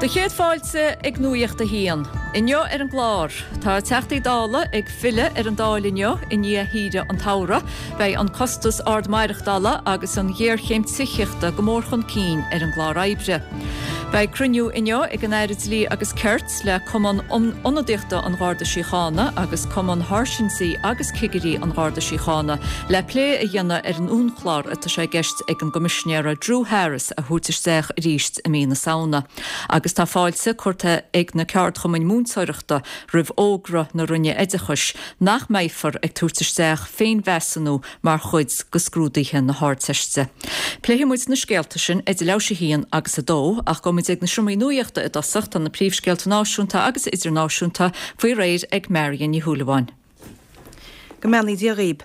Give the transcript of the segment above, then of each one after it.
Do chéad fáilte ag Nuacht a hAon. Inniu ar an gclár, tá Teachtaí Dála ag filleadh ar an Dáil inniu i ndiaidh shaoire an tsamhraidh. Beidh an costas ard maireachtála agus an ghéarchéim tithíochta go mór chun cinn ar an gclár oibre. Beidh cruinniú inniu ag an Aire Dlí agus Cirt le Cumann Ionadaíochta an Gharda Síochána agus Cumann Sháirsintí agus Cigirí an Gharda Síochána le plé a dhéanamh ar an uainchlár atá sé i gceist ag an gCoimisinéara Drew Harris a thabhairt isteach arís i mí na Samhna. Agus tá fáilte curtha ag na ceardchumainn múinteoireachta roimh fhógra na Roinne Oideachais nach mbeifear ag tabhairt isteach féinmheasúnú mar chuid de scrúduithe na hArdteiste. Pléifidh muid na scéalta sin idir leathuair théis 1 agus 2, ach gabhfaidh muid ag na seomraí nuachta i dtosach, tá na príomhscéalta náisiúnta agus idirnáisiúnta faoi réir ag Marion Ní Shúilleabháin. Go mbeannaí Dia dhaoib.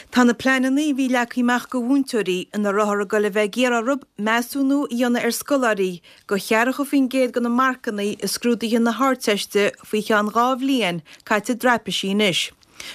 Tá na pleananna a bhí leagtha amach go mhúinteoirí ina rabhthar ag goil a bheith ag iarraidh orthu measúnú a dhéanamh ar scoláirí go cheathracha faoin gcéad de na marcanna i scrúduithe na hArdteiste faoi cheann 2 bhliain caite i dtraipisí anois.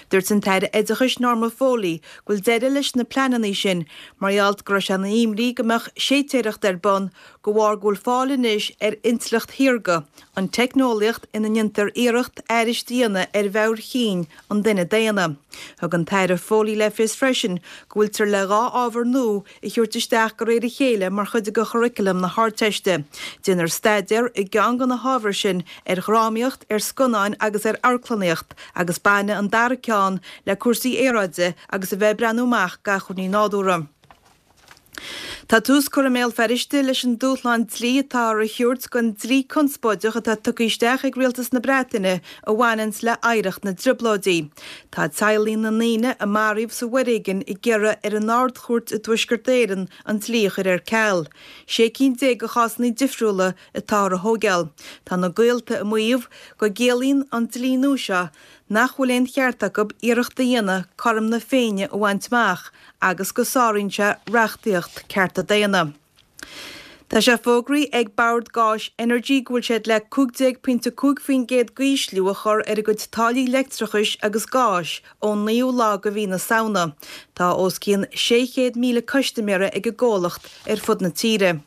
Dúirt an tAire Oideachais Norma Foley go bhfuil deireadh leis na pleananna sin mar gheall go raibh sé ina imní go mbeadh séitéireacht ar bun de bharr go bhfuil fáil anois ar intleacht shaorga, an teicneolaíocht ina ndéantar iarracht aithris a dhéanamh ar mheabhair chinn an duine daonna. Thug an tAire Foley le fios freisin go bhfuiltear le 2 ábhar nua a thabhairt isteach de réir a chéile mar chuid de churaclam na hArdteiste. Déanfar staidéar i gceann de na hábhair sin ar dhrámaíocht, ar scannáin agus ar amharclannaíocht agus bainfidh an dara ceann le cúrsaí aeráide agus a bheith ag breathnú amach d'acmhainní nádúrtha. Tá tús curtha i mBéal Feirste leis an dúshlán dlí atáthar a thabhairt don dlí conspóideach atá tugtha isteach ag Rialtas na Breataine a bhaineanns le hoidhreacht na dTrioblóidí. Tá teaghlaigh na ndaoine a maraíodh sa bhforéigean ag iarraidh ar an Ard-Chúirt i dTuaisceart Éireann an dlí a chur ar ceal. 16 cinn de chásanna difriúla atáthar a thóigeáil. Tá na gaolta ag maíomh go gciallaíonn an dlí nua seo nach bhfuil aon cheart acu iarracht a dhéanamh cothrom na Féinne a bhaint amach agus go sáraíonn sé reachtaíocht cearta daonna. Tá sé fógraithe ag Bord Gáis Energy go bhfuil siad le 15.5% d'ísliú a chur ar a gcuid táillí leictreachais agus gáis ón naoú lá de mhí na Samhna. Tá os cionn 600,000 custaiméara ag an gcomhlacht ar fud na tíre.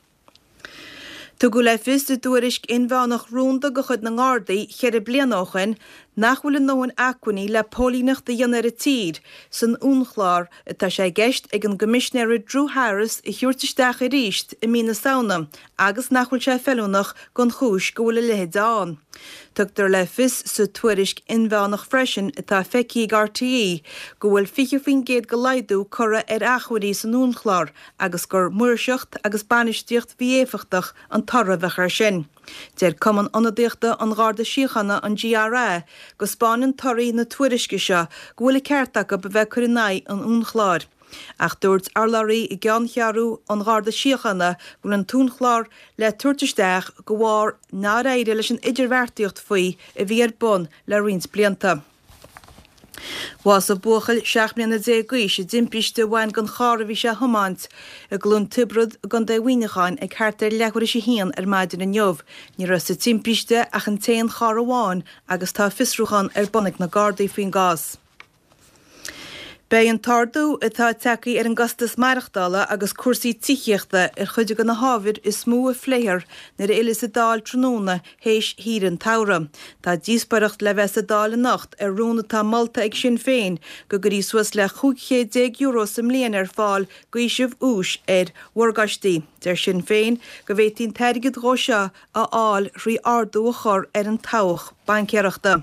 Tugadh le fios i dtuairisc inmheánach rúnda de chuid na nGardaí cheithre bliana ó shin nach bhfuil a ndóthain acmhainní le póilíneacht a dhéanamh ar an tír san uainchlár atá sé i gceist ag an gCoimisinéara Drew Harris a thabhairt isteach arís i mí na Samhna agus nach bhfuil sé feiliúnach don chúis go bhfuil a leithéid ann. Tugtar le fios sa tuairisc inmheánach freisin atá feicthe ag RTÉ go bhfuil 20% de laghdú curtha ar acmhainní san uainchlár agus gur maoirseacht agus bainistíocht mhí-éifeachtach an toradh a bheadh air sin. Deir Cumann Ionadaíochta an Gharda Síochána, an GRA, go 'spáineann torthaí na tuairisce seo go bhfuil an ceart acu a bheith ag cur in aghaidh an uainchlár. Ach dúirt urlabhraí i gceanncheathrú an Gharda Síochána go bhfuil an t-uainchlár le tabhairt isteach de bharr nár éirigh leis an idirbheartaíocht faoi a bhí ar bun le roinnt blianta. Bhásaigh buachaill 17 mbliana d'aois i dtimpiste a bhain den charr a bhí sé a thiomáint i gCluain Tiobrad i gContae Mhuineacháin ag thart ar leathuair théis a haon ar maidin inniu. Ní raibh sa timpiste ach an t-aon charr amháin agus tá fiosrúchán ar bun ag na Gardaí faoin gcás. Beidh an t-ardú atá tagtha ar an gcostas maireachtála agus cúrsaí tithíochta ar chuid de na hábhair is mó a phléifear nuair a fhilleas an Dáil tráthnóna théis shaoire an tsamhraidh. Tá díospóireacht le bheith sa Dáil anocht ar rún atá molta ag Sinn Féin go gcuirfí suas le €1500 sa mbliain ar fáil d'fhaoiseamh úis ar mhorgáistí. Deir Sinn Féin go bhféadfaí an t-airgead dhó seo a fháil thrí ardú a chur ar an tobhach baincéireachta.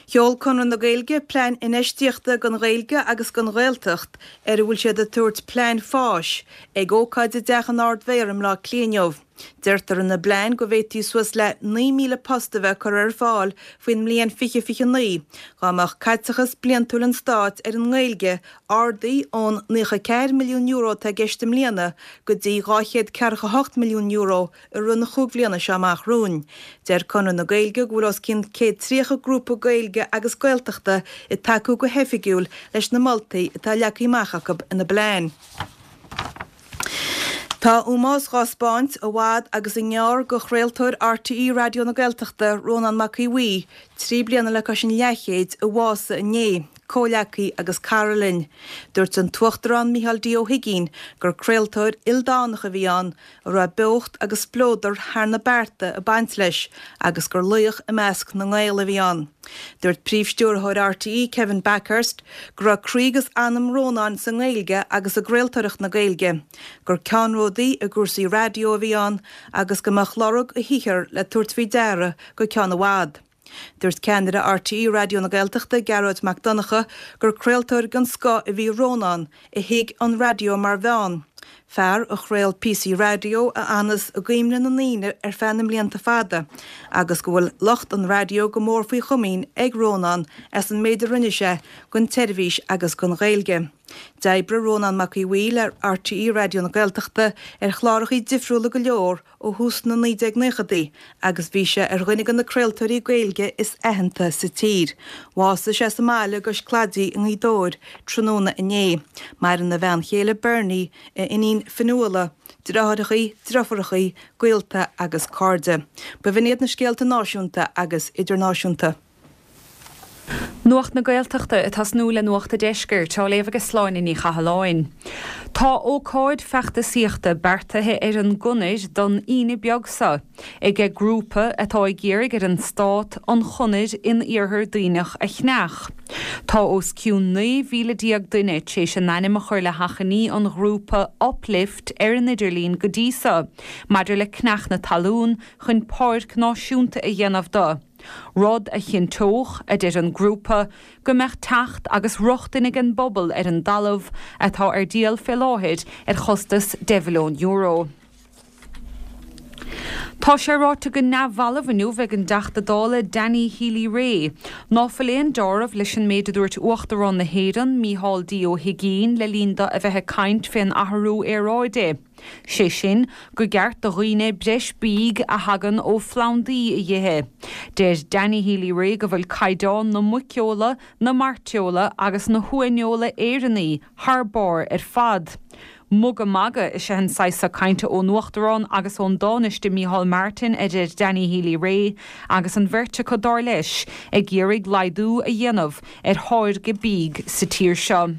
Sheol Conradh na Gaeilge plean infheistíochta don Ghaeilge agus don Ghaeltacht, ar a bhfuil siad ag tabhairt Plean Fáis, ag ócáid i dTeach an Ard-Mhéara i mBleá Cliath inniu. Deirtear ina bplean go bhféadfaí suas le 9,000 post a bheith curtha ar fáil faoin mbliain 2029 dá mbeadh caiteachas bliantúil an stáit ar an nGaeilge ardaithe ón €94 milliún atá i gceist i mbliana go dtí €248 milliún i rith na chúig bhliana seo amach romhainn. Deir Conradh na Gaeilge go bhfuil os cionn 130 grúpa Gaeilge agus Gaeltachta ag tacú go hoifigiúil leis na moltaí atá leagtha amach acu ina bplean. Tá ómós dhá 'spáint i bhfad agus i ngearr go chraoltóir RTÉ Raidió na Gaeltachta, Rónán Mac Aodha Bhuí, 3 bliana le cois an leathchéid, a bhásaigh inné. comhleacaí agus cara linn. Dúirt an tUachtarán Micheál D. Ó hUigínn gur craoltóir ildánach a bhí ann a raibh beocht agus spleodar thar na bearta ag baint leis agus gur laoch i measc na nGael a bhí ann. Dúirt Príomh-Stiúrthóir RTÉ, Kevin Bakhurst, go raibh croí agus anam Rónáin sa nGaeilge agus i gcraoltóireacht na Gaeilge, gur ceannródaí i gcúrsaí raidió a bhí ann agus go mbeadh lorg a shaothair le tabhairt faoi deara go ceann i bhfad. Dúirt ceannaire RTÉ Raidió na Gaeltachta, Gearóid Mac Donncha, gur craoltóir den scoth a bhí i Rónán, a thuig an raidió mar mheán, fear a chraol píosaí raidió a fhanas i gcuimhne na ndaoine ar feadh na mblianta fada, agus go bhfuil lucht an raidió go mór faoi chomaoin ag Rónán as an méid a rinne sé don tseirbhís agus don Ghaeilge. D'oibrigh Rónán Mac Aodha Bhuí le RTÉ Raidió na Gaeltachta ar chlárachaí difriúla go leor ó thús na 1990idí agus bhí sé ar dhuine de na craoltóirí Gaeilge is aitheanta sa tír. Bhásaigh sé sa mbaile i gCois Claidí i nGaoth Dobhair tráthnóna inné. Maireann a bhean chéile Bernie, a iníon Fionnuala, deartháireachaí, driofúrachaí, gaolta agus cairde. B'in iad na scéalta náisiúnta agus idirnáisiúnta. Nuacht na Gaeltachta ag tosnú le Nuacht a' Deiscirt, á léamh ag Sláine Ní Chathalláin. Tá ócáid feachtasaíochta beartaithe ar an gConair don Aoine beag seo ag grúpa atá ag iarraidh ar an Stát an chonair in Iarthar Duibhneach a chneach. Tá os cionn 19,000 duine tar éis a n-ainm a chur le hachainí an ghrúpa Uplift ar an idirlíon go dtí seo maidir le cneach na talún chun páirc náisiúnta a dhéanamh de. Rud a chinnteodh, a deir an grúpa, go mbeadh teacht agus rochtain ag an bpobal ar an dtalamh, atá ar díol fé láthair ar chostas €10 mhilliún. Tá sé ráite go neamhbhalbh inniu ag an dTeachta Dála Danny Healy-Rae ná fuil aon deáramh leis an méid a dúirt Uachtarán na hÉireann, Mícheál D. Ó hUigínn le linn do a bheith ag caint fén athrú aeráide. Sé sin, go gceart do dhaoine breis bídh a thagann ó phlandaí a dh'ithe. Deir Danny Healy-Rae go bhfuil caighdeán na muiceola, na mairteola agus na huaineola Éireannaí thar barr ar fad. Mugadh magadh is ea an saghas so cainte ón Uachtarán agus ón dTánaiste Micheál Martin, a deir Danny Healy-Rae, agus an bheirt acu, dar leis, ag iarraidh laghdú a dhéanamh ar tháirgeadh bídh sa tír seo.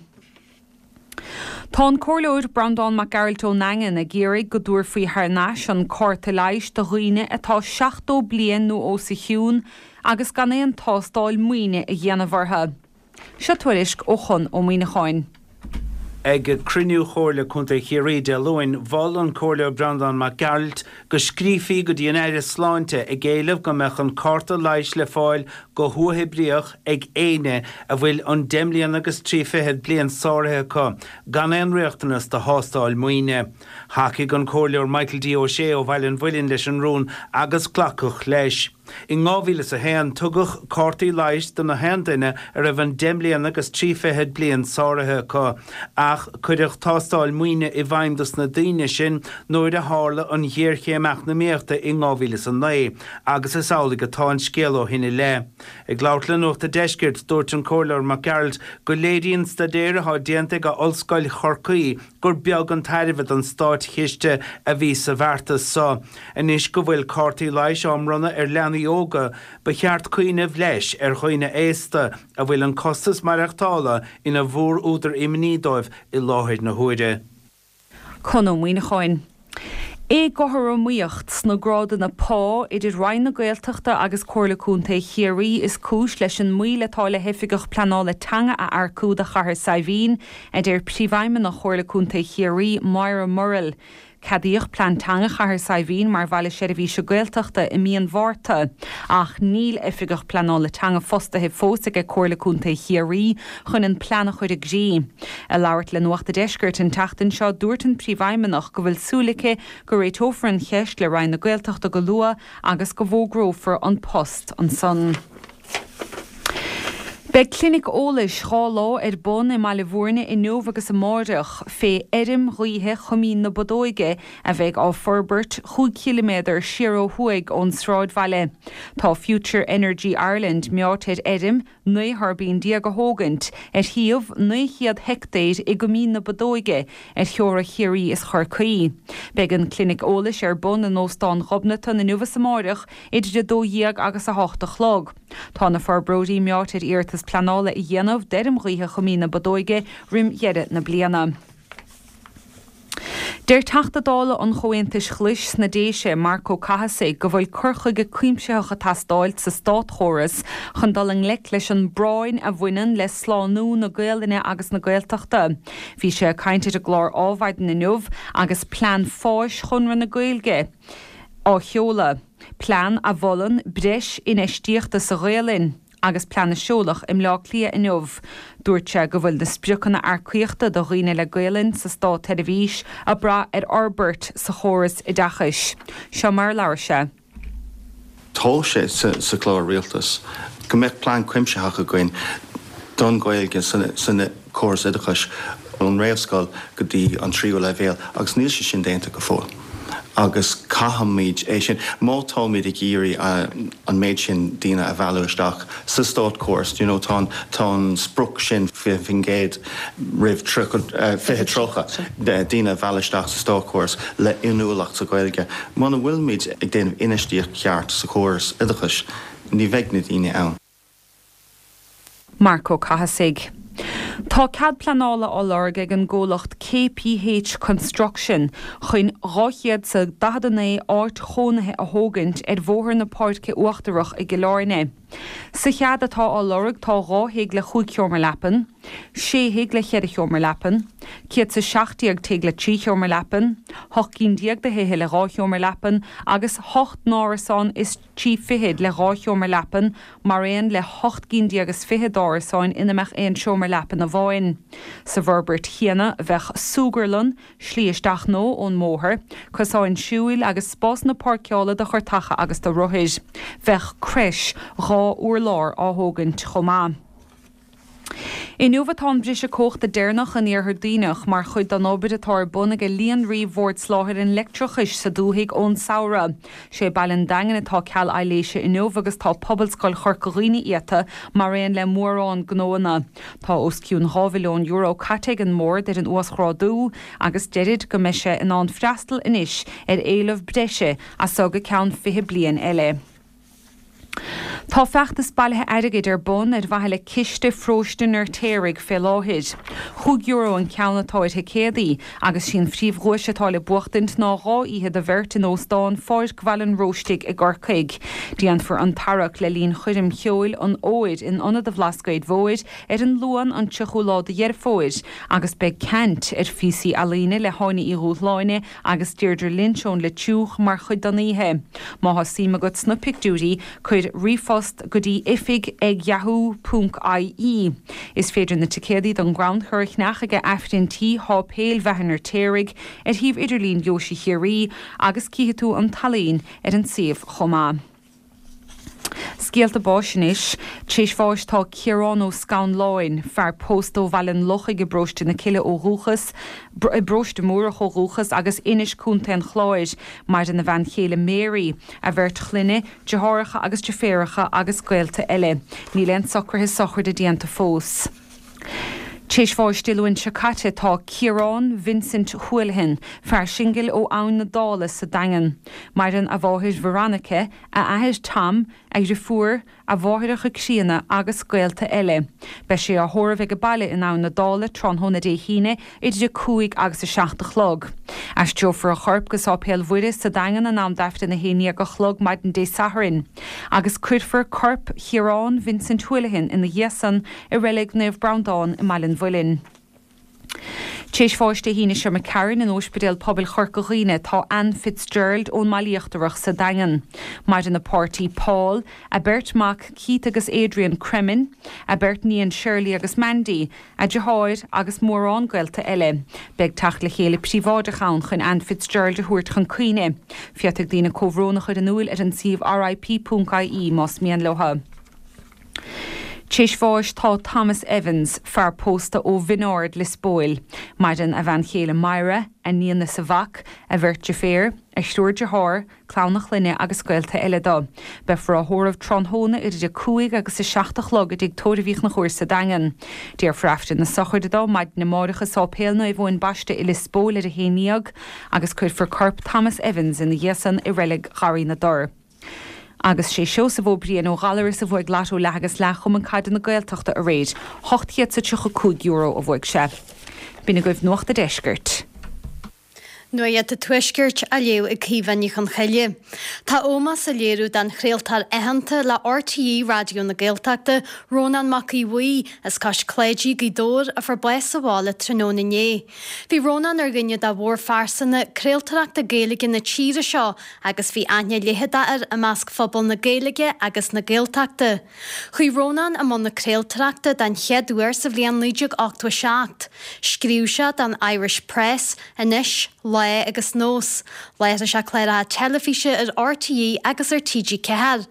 Tá an Comhairleoir Breandán Mac Gearailt ón nDaingean ag iarraidh go dtabharfaí thar n-ais an cárta leighis do dhaoine atá 70 bliain nó os a chionn agus gan aon tástáil maoine a dhéanamh orthu. Seo tuairisc ó Chonn Ó Muíneacháin. Ag cruinniú Chomhairle Contae Chiarraí Dé Luain, mhol an Comhairleoir Breandán Mac Gearailt go scríofaí go dtí an Aire Sláinte ag éileamh go mbeadh an cárta leighis le fáil go huathoibríoch ag éinne a bhfuil an deich mbliana agus 30 bliain sáraithe acu, gan aon riachtanas do thástáil maoine. Thacaigh an Comhairleoir Michael D. Ó Sé ó Bhaile an Mhuilinn leis an rún agus glacadh leis. In 2001, tugadh cártaí leighis do na haon duine a raibh an deich mbliana agus 30 bliain sáraithe acu, ach cuireadh tástáil maoine i bhfeidhm dos na daoine sin nuair a tharla an ghéarchéim eacnamaíochta in 2009 agus is amhlaidh atá an scéal ó shin i leith. Ag labhairt le Nuacht a' Deiscirt, dúirt an Comhairleoir Mac Gearailt go léiríonn staidéar atá déanta ag Ollscoil Chorcaí gur beag an tairbhe don státchiste a bhí sa bheartas so. Anois go bhfuil cártaí leighis á mbronnadh ar leanaí óga, ba cheart cuimhneamh leis ar dhaoine aosta a bhfuil an costas maireachtála ina mhór-údar imní dóibh i láthair na huaire. Conn Ó Muíneacháin. Éagothromaíocht sna grádanna pá idir Roinn na Gaeltachta agus Comhairle Contae Chiarraí is cúis leis an moill atá le hOifigeach Pleanála Teanga a earcú do Chathair Saidhbhín, a deir Príomhfheidhmeannach Chomhairle Contae Chiarraí, Moira Murrell. Ceadaíodh Plean Teanga Chathair Saidhbhín mar Bhaile Seirbhíse Gaeltachta i mí an Mhárta, ach níl Oifigeach Pleanála Teanga fostaithe fós ag Comhairle Contae Chiarraí chun an plean a chur i gcrích. Ag labhairt le Nuacht a' Deiscirt an tseachtain seo, dúirt an Príomhfheidhmeannach go bhfuil súil aici go réiteofar an cheist le Roinn na Gaeltachta go luath agus go bhfógrófar an post ansan. Beidh clinic eolais 2 lá ar bun i mBaile Bhúirne inniu agus amáireach fé fheirm ghaoithe Choimín na Bodóige a bheidh á forbairt chúig chiliméadar siar ó thuaidh ón sráidbhaile. Tá Future Energy Ireland meáite ar fheirm 19 thuirbín a thógaint ar shuíomh 900 heictéir i gCoimín na Bodóige ar theora Chiarraí is Chorcaí. Beidh an clinic eolais ar bun in Óstán Ghobnatan inniu is amáireach idir 12 agus 8 a chlog. Tá na forbróirí meáite ar iarratas. ceadúnas pleanála a dhéanamh d'fheirm ghaoithe Choimín na Bodóige roim dheireadh na bliana. Deir Teachta Dála an Chomhaontais Ghlais sna Déise, Marc Ó Cathasaigh, go bhfuil cur chuige cuimsitheach ag teastáilt sa státchóras chun dul i ngleic leis an bpráinn a bhaineann le slánú na Gaolainne agus na Gaeltachta. Bhí sé ag caint ar an gclár Ádhmhaidin inniu agus plean fáis Chonradh na Gaeilge á sheoladh, plean a mholann breis infheistíochta sa Ghaolainn. Agus plean a seoladh i mBleá Cliath inniu, dúirt sé go bhfuil na spriocanna earcaíochta do dhaoine le Gaolainn sa státsheirbhís ag brath ar fhorbairt sa chóras oideachais. Seo mar a labhair sé. Tá sé sa chlár rialtais go mbeadh plean cuimsitheach againn don Ghaeilge san córas oideachais ón réamhscoil go dtí an tríú leibhéal agus níl sé sin déanta go fóill agus caithfimid é sin, má táimid ag iarraidh an méid sin daoine a mhealladh isteach sa státchóras, you know tá an, tá an sprioc sin 20% roimh 2030 daoine a mhealladh isteach sa státchóras le inniúlacht sa Ghaeilge. Muna bhfuilimid ag déanamh infheistíocht cheart sa chóras oideachais ní bheidh na daoine ann. Marc Ó Cathasaigh. Tá cead pleanála á lorg ag an gcomhlacht KPH Construction chun 249 áit chónaithe a thógaint ar Bhóthar na Páirce Uachtarach i gCill Airne. Sa chead atá á lorg tá 2 thigh le chúig sheomra leapan, 6 thigh le cheithre sheomra leapan, 117 tigh le trí sheomra leapan, 18 gcinn de thithe le dhá sheomra leapan agus 8 n-árasán is trí fichid le dhá sheomra leapan mar aon le hocht gcinn déag is fiche d'árasáin ina mbeadh aon seomra leapan amháin. Sa bhforbairt chéanna bheadh súgarlann, slí isteach nó ón mbóthar, cosáin siúil agus spásanna páirceála do chartacha agus do rothair. Bheadh creis dhá urlár á thógaint chomh maith. Inniu atá an briseadh cumhachta deireanach in Iarthar Duibhneach mar chuid den obair atá ar bun ag Líonraí Bhord Soláthair an Leictreachais sa dúthaigh ón samhradh. Sé baile an Daingin atá ceal aibhléise inniu agus tá Pobalscoil Chorca Dhuibhne iata mar aon le mórán gnóanna. Tá os cionn €2 mhilliún caite ag an mBord ar an uasghrádú agus deirid go mbeidh sé in ann freastal anois ar éileamh breise as so go ceann 20 bliain eile. Tá feachtas bailithe airgid ar bun ar mhaithe le Ciste Pharóiste an Fheirtéaraigh fé láthair. Chúig euro an ceann atá ar thicéadaí agus sí an phríomhdhuais atá le buachtaint ná 2 oíche do bheirt in Óstán Pháirc Bhaile an Róistigh i gCorcaigh. Déanfar an tarrac le linn choirm cheoil an Fhómhair in Ionad an Bhlascaoid Mhóir ar an Luan an 30ú lá de Dheireadh Fómhair agus beidh caint ar phíosaí ealaíne le hÁine Uí Dhúshláine agus Deirdre Lynch ón Leitriúch mar chuid den oíche. Má thá suim agat sna pictiúirí, cuir ríomhphost go dtí oifig ag yahoo ponc ie. Is féidir na ticéadaí don gcrannchur a cheannach ag Aifreann Tí Sháipéal Bheatha an Fheirtéaraigh ar shuíomh idirlín Dheoise Chiarraí agus cífidh tú an t-ealaín ar an suíomh chomh maith. Scéalta báis anois. Tar éis bháis tá Ciarán Ó Scanláin, fear pósta ó Bhaile an Lochaigh i bparóiste na Cille ó dhúchas, i bparóiste Múrach ó dhúchas agus Inis, Contae an Chláir. Maireann a bhean chéile Mary, a bheirt chlainne, deartháireacha agus deirféaracha agus gaolta eile. Níl aon socruithe sochraide déanta fós. Tar éis bháis Dé Luain seo caite tá Ciarán Vincent Houlihan, fear singil ó Abhainn na Dála sa Daingean. Maireann a mháthair Veronica, a athair Tom, a dhriofúr, a mháithreacha críonna agus gaolta eile. Beidh sé á thórramh ag baile in Abhainn na Dála tráthnóna Dé hAoine idir 5 agus 7 a chlog. Aistreofar a chorp go Sáipéal Mhuire sa Daingean in am d'Aifreann 11 a chlog maidin Dé Sathairn agus cuirfear corp Chiaráin Vincent Houlihan ina dhiaidh san i Reilig Naomh Breandán i mBaile an Mhuilinn. Tar éis bháis Dé hAoine seo imigh tharainn in Óispidéal Pobail Chorca Dhuibhne tá Ann Fitzgerald ón mBaile Íochtarach sa Daingean. Maireann a páirtí Paul, a beirt mac Keith agus Adrian Cremin, a beirt níon Shirley agus Mandy, a deartháir agus mórán gaolta eile. Beidh teacht le chéile príobháideach ann chun Ann Fitzgerald a thabhairt chun cuimhne. Féadfaidh daoine comhbhrón a chur in iúil ar an suíomh RIP.ie más mian leo. Tar éis bháis tá Thomas Evans, fear pósta ó Bhinn Ard, Lios Póil. Maireann a bhean chéile Myra, a níon is a mhac, a bheirt deirféar, a thriúr dearthár, clann a chlainne agus gaolta eile dó. Beifear á thórramh tráthnóna idir 5 agus 7 a chlog i dTigh Tórraimh Uí Chonchúir sa Daingean. Déarfar Aifreann na sochraide dó maidin amáireach i Sáipéal Naomh Eoin Baiste i Lios Póil ar a 11 agus cuirfear corp Thomas Evans ina dhiaidh san i Reilig Gharraí na dTor. Agus sé Seosamh Ó Briain ó Ghallaras a bhuaigh Lotto Leath agus Leath Chumann Caide na Gaeltachta aréir. €835 a bhuaigh sé. B'in agaibh Nuacht a' Deiscirt. Nuacht an Tuaiscirt á léamh ag Caoimhe Ní Chonchoille. Tá ómós á léiriú don chraoltóir aitheanta le RTÉ Raidió na Gaeltachta, Rónán Mac Aodha Bhuí, as Cois Cláidí, Gaoth Dobhair, a fuair bás sa bhaile tráthnóna inné. Bhí Rónán ar dhuine de mhórphearsana craoltóireachta Gaeilge na tíre seo agus bhí aithne leitheadach air i measc phobal na Gaeilge agus na Gaeltachta. Chuaigh Rónán i mbun na craoltóireachta den chéad uair sa bhliain 1987. Scríobh sé don Irish Press, Anois, Lá agus Nós. Láithrigh sé cláracha teilifíse ar RTÉ agus ar TG4.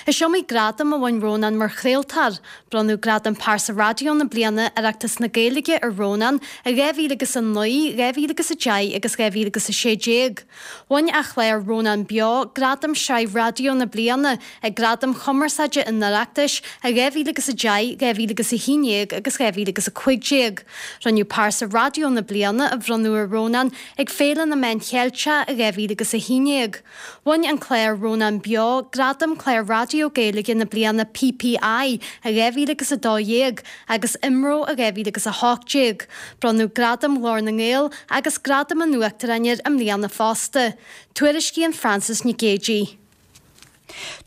Is iomaí gradam a bhain Rónán mar chraoltóir. Bronnadh Gradam Pearsa Raidió na Bliana Oireachtas na Gaeilge ar Rónán i 2009, 2010 agus 2016. Bhain a chlár Rónán Beo Gradam Sraith Raidió na Bliana ag Gradaim Chumarsáide an Oireachtais i 2010, 2011 agus 2015. Rinneadh Pearsa Raidió na Bliana a bhronnadh ar Rónán ag Féile na Meán Cheilteach i 2011. Bhain an clár Rónán Beo Gradam Clár Raidió Gaeilge na Bliana PPI i 2012 agus IMRO i 2018. Bronnadh Gradam Ghlór na nGael agus Gradam an Uachtaráin air i mbliana fosta. Tuairiscíonn Frances Nic Géadaigh.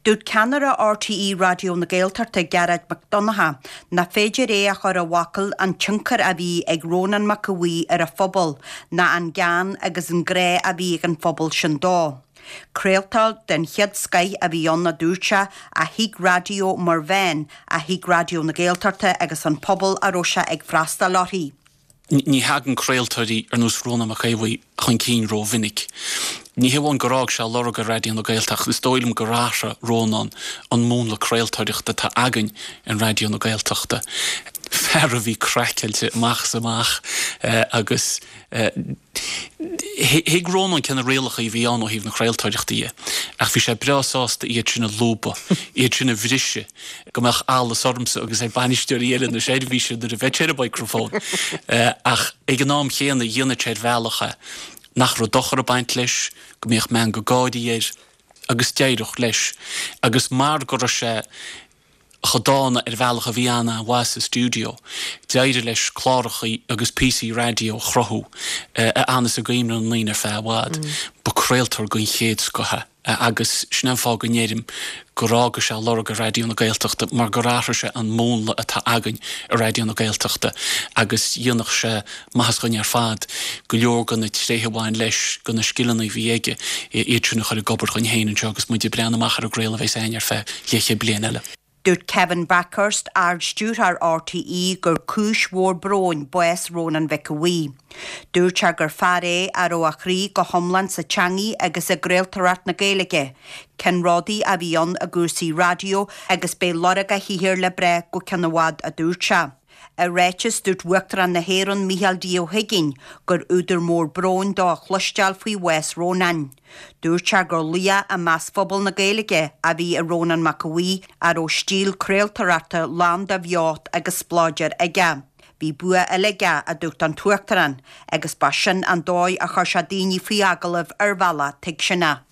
Dúirt ceannaire RTÉ Raidió na Gaeltachta, Gearóid Mac Donncha, nach féidir é a chur i bhfocail an tionchar a bhí ag Rónán Mac Aodha Bhuí ar a phobal ná an gean agus an grá a bhí ag an phobal sin dó. Craoltóir den chéad scoith a bhí ann, a dúirt sé, a thuig raidió mar mheán, a thuig Raidió na Gaeltachta agus an pobal a raibh sé ag freastal uirthi. Ní thagann craoltóirí ar nós Rónán Mac Aodha Bhuí chun cinn rómhinic. Ní hé amháin gur fhág sé lorg ar Raidió na Gaeltachta, is dóigh liom gur athraigh Rónán an múnla craoltóireachta atá againn in Raidió na Gaeltachta. Fear a bhí craiceáilte amach is amach agus Thuig Rónán cé na rialacha a bhí ann ó thaobh na craoltóireachta dhe, ach bhí sé breá sásta iad sin a lúbadh, iad sin a bhriseadh, go mbeadh allas ormsa agus ar bhainisteoirí eile na seirbhíse nuair a bheadh sé ar an microphone. Ach ag an am chéanna, dhéanadh sé ar bhealach é nach raibh dochar ag baint leis, go mbíodh meangadh gáirí air, agus d'éireodh leis. Agus mar go raibh sé chomh dána ar bhealach a bhí an-mhaith sa stiúideo. D'éirigh leis clárachaí agus píosaí raidió a chruthú a fhanas i gcuimhne na ndaoine ar feadh i bhfad. Ba craoltóir den chéad scoth é agus sin é an fáth go ndeirim gur fhága sé lorg ar Raidió na Gaeltachta mar gur athraigh sé an múnla atá againn i Raidió na Gaeltachta agus dhéanfadh sé maitheas dhúinn ar fad go leor de na tréithe a bhain leis, de na scileanna a bhí aige, iad sin a chur ag obair dhúinn féin anseo agus muid ag breathnú amach ar an gcraoladh a bheas againn ar feadh leathchéad bliain eile. Dúirt Kevin Bakhurst, Ard-Stiúrthóir RTÉ, gur cúis mhór bróin bás Rónán Mhic Aodha Bhuí. Dúirt sé gur fear é a raibh a chroí go hiomlán sa teangaidh agus i gcraoltóireacht na Gaeilge. Ceannródaí a bhí ann i gcúrsaí raidió agus beidh lorg a shaothair le brath go ceann i bhfad, a dúirt sé. I ráiteas, dúirt Uachtarán na hÉireann Micheál D. Ó hUiginn gur údar mór bróin dó a chloisteáil faoi bhás Rónáin. Dúirt sé gur laoch i measc phobal na Gaeilge a bhí i Rónán Mac Aodha Bhuí a raibh stíl craoltóireachta lán de bheocht agus spleodar aige. Bhí bua eile aige, a dúirt an tUachtarán, agus ba sin an dóigh a chuir sé daoine faoi agallamh ar bhealach tuigseanach.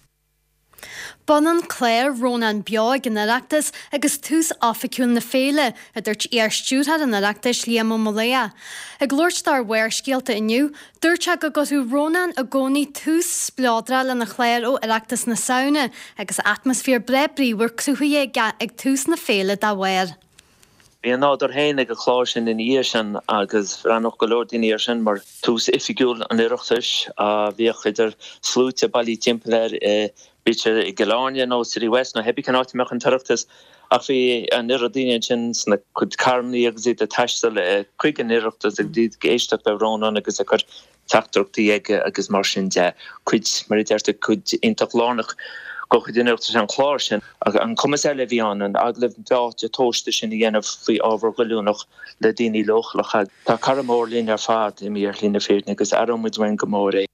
B'ionann clár Rónán Beo ag an Oireachtas agus tús oifigiúil na féile, a dúirt iar-stiúrthóir an Oireachtais, Liam Ó Maolaodha. Ag labhairt dó ar Bharrscéalta inniu, dúirt sé go gcuirfeadh Rónán i gcónaí tús spleodrach lena chlár ó Oireachtas na Samhna agus atmaisféar breá bríomhar cruthaithe aige ag tús na féile dá bharr. Bhí a nádúr féin ag an chlár sin ina dhiaidh sin agus bhreathnódh go leor daoine air sin mar tús oifigiúil an Oireachtais. Bhíodh idir sluaite bailithe timpeall air, bíodh sé i gCill Airne nó City West nó hébí cén áit a mbeadh an tOireachtas, ach bhí an oiread daoine ansin sna cuid carrannaí agus iad ag taisteal chuig an Oireachtas agus iad ag éisteacht le Rónán agus ag cur teachtaireachtaí aige agus mar sin de. Cuid, mar a deirtear, cuid iontach lárnach de chuid an Oireachtais an clár sin. Ach an cumas eile a bhí ann, an agallamh beoite tomhaiste sin a dhéanamh faoi ábhar goilliúnach le daoine leochaileacha. Tá cara mór linn ar fad imithe ar shlí na fírinne agus aireoidh muid uainn go mór é.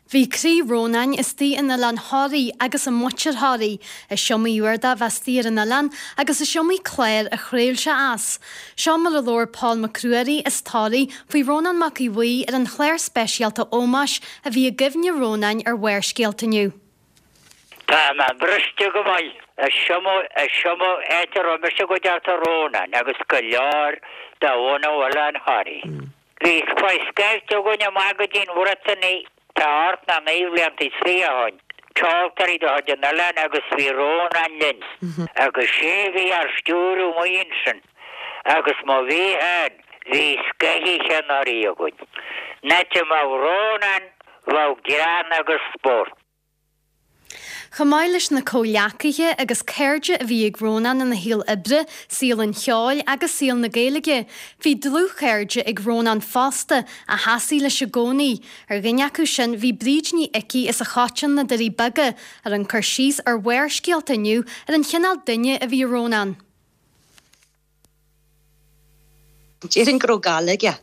Bhí croí Rónáin istigh in Oileán Thoraí agus i muintir Thoraí. Is iomaí uair dó bheith istigh ar an oileán agus is iomaí clár a chraol sé as. Seo mar a labhair Pól Mac Ruairí as Toraigh faoi Rónán Mac Aodha Bhuí ar an chlár speisialta ómóis a bhí i gcuimhne Rónáin ar Bharrscéalta inniu. Tá mé briste go maith. Is iomaí áit a raibh mise go dtearta Rónán agus go leor de bhunadh Oileán Thoraí. Bhí scoilt againn amach go dtí an Bhriotáin tá ocht nó naoi bhlianta is fiche ó shoin, ceoltóirí de chuid an oileáin agus bhí Rónán linn agus sé a bhí ár stiúradh amuigh ansin agus má bhí féin bhí scoith-oíche anuraidh againn. An áit a mbeadh Rónán bheadh greann agus spórt. Chomh maith leis na comhghleacaithe agus cairde a bhí ag Rónán ina shaol oibre, saol an cheoil agus saol na Gaeilge, bhí dlúthchairde ag Rónán fosta a sheasaigh leis i gcónaí. Ar dhuine acu sin bhí Bríd Ní Icí as an Choiteann, na Doirí Beaga, a rinne cur síos ar Bharrscéalta inniu ar an chineál duine a bhí i Rónán. Déarfainn go raibh gal aige.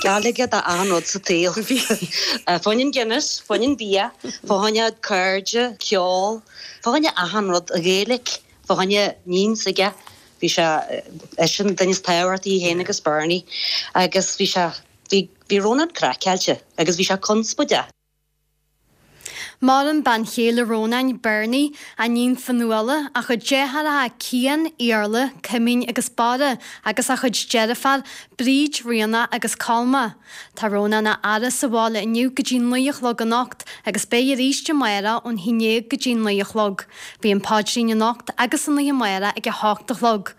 Gal aige do achan rud sa tsaol. Fá choinne an Guinness, fá choinne an bia, fá choinne cairde, ceol, fá choinne achan rud, an Ghaeilge, fá choinne níon s'aige. Bhí sé, eisean an duine is tábhachtaí, é féin agus Bernie. Agus bhí sé, bhí, bhí Rónán craiceáilte agus bhí sé conspóideach. Maireann bean chéile Rónáin, Bernie, a níon Fionnuala, a chuid deartháireacha Cian, Iarla, Cuimín agus Barra agus a chuid deirfiúr, Bríd, Ríona agus Colma. Tá Rónán á fhaire sa bhaile inniu go dtí 9 a chlog anocht agus beidh arís amárach ón haon déag go dtí 9 a chlog. Beidh an paidrín anocht agus an oíche amárach ag 8 a chlog.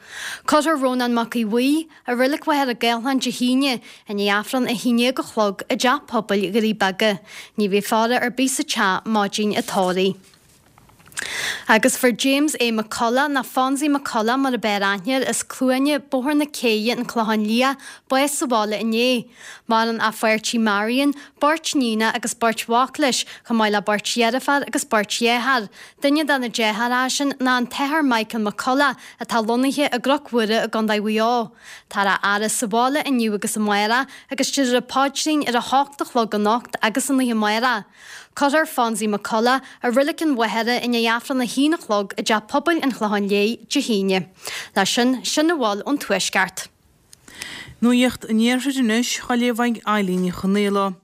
Cuirfear Rónán Mac Aodha Bhuí, I Reilig Mhachaire Gathlán Dé hAoine, i ndiaidh Aifreann 11 a chlog i dTeach Pobail Dhoirí Beaga. Ní bheidh faire ar bith sa teach maidin an tórraimh. Agus fuair James A. McCullough, nó Fonzie McCullough mar a b'fhearr aithne air, as Cluana, Bóthar na Céidhe, An Clochán Liath, bás sa bhaile inné. Maireann a pháirtí Marion, beirt níonacha agus beirt mhac leis, chomh maith le beirt dheirféar agus beirt dheartháir. Duine de na deartháireacha sin ná an tAthair Michael McCullough atá lonnaithe i gCnoc Mhuire i gContae Mhaigh Eo. Táthar á fhaire sa bhaile inniu agus amárach agus déarfar an paidrín ar a hocht a chlog anocht agus an oíche amárach. Cuirfear Fonzie McCullough i Reilig an Mhachaire i ndiaidh Aifreann a haon a chlog i dTeach Pobail an Chlocháin Léith Dé hAoine. Leis sin, sin a bhfuil ón Tuaisceart. Nuacht an Iarthair anois, á léamh ag Eilín Ní Chonaola.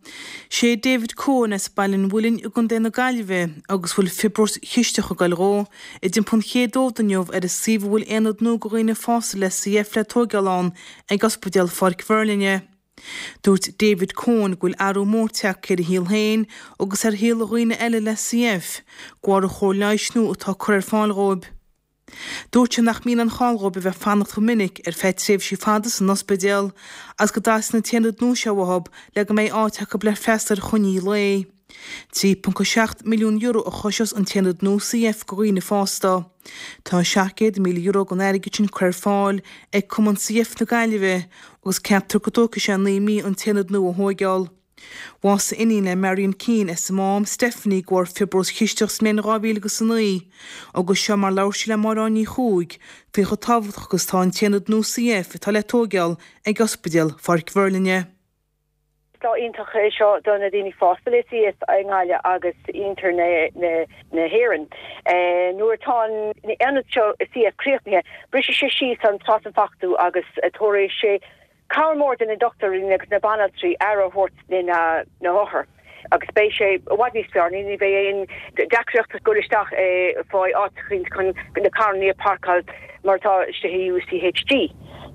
Sé David Coen as Baile an Mhuilinn i gContae na Gaillimhe agus bhfuil fiobróis chisteach ag goil dhó, i dTeampall an Chéad Fhód inniu ar an suíomh a bhfuil aonad nua do dhaoine fásta le CF le tóigeáil ann ag Ospidéal Pháirc Mheirlinne. Dúirt David Coen go bhfuil athrú mór tagtha ar a shaol féin agus ar shaol dhaoine eile le CF, de bharr an chóir leighis nua atá curtha ar fáil dhóibh. Dúirt sé nach mbíonn aon chall dhóibh a bheith ag fanacht chomh minic ar feadh tréimhsí fada san ospidéal agus go dteastaíonn an t-aonad nua seo uathu le go mbeidh áit acu le freastal ar choinní lae. €3.7 milliún a choisneos an t-aonad nua CF do dhaoine fásta. Tá €700,000 den airgead sin curtha ar fáil ag Cumann CF na Gaillimhe agus ceaptar go dtógfaidh sé 9 mí an t-aonad nua a thóigeáil. Bhásaigh iníon le Marion Keane as an Mám, Stephanie, de bharr fiobróis chisteach sa mbliain 2009 agus seo mar labhair sí le Máire Áine Ní Chuaig faoi chomh tábhachtach agus atá an t-aonad nua CF atá le tóigeáil ag Ospidéal Pháirc Mheirlinne. Is lá iontach é seo do na daoine fásta le CF i nGaillimh agus iarthar na hÉireann. Nuair atá an aonad seo CF críochnaithe, brisfidh sé síos an trasionfhabhtú agus tabharfaidh sé Cabhair mór do na dochtúirí agus na banaltraí aire a thabhairt do na hothair agus beidh sé i bhfad níos fearr. Ní bheidh aon deacracht ag dul isteach fáil áit chun na carrannaí a pharcáil mar atá istigh i UCHG.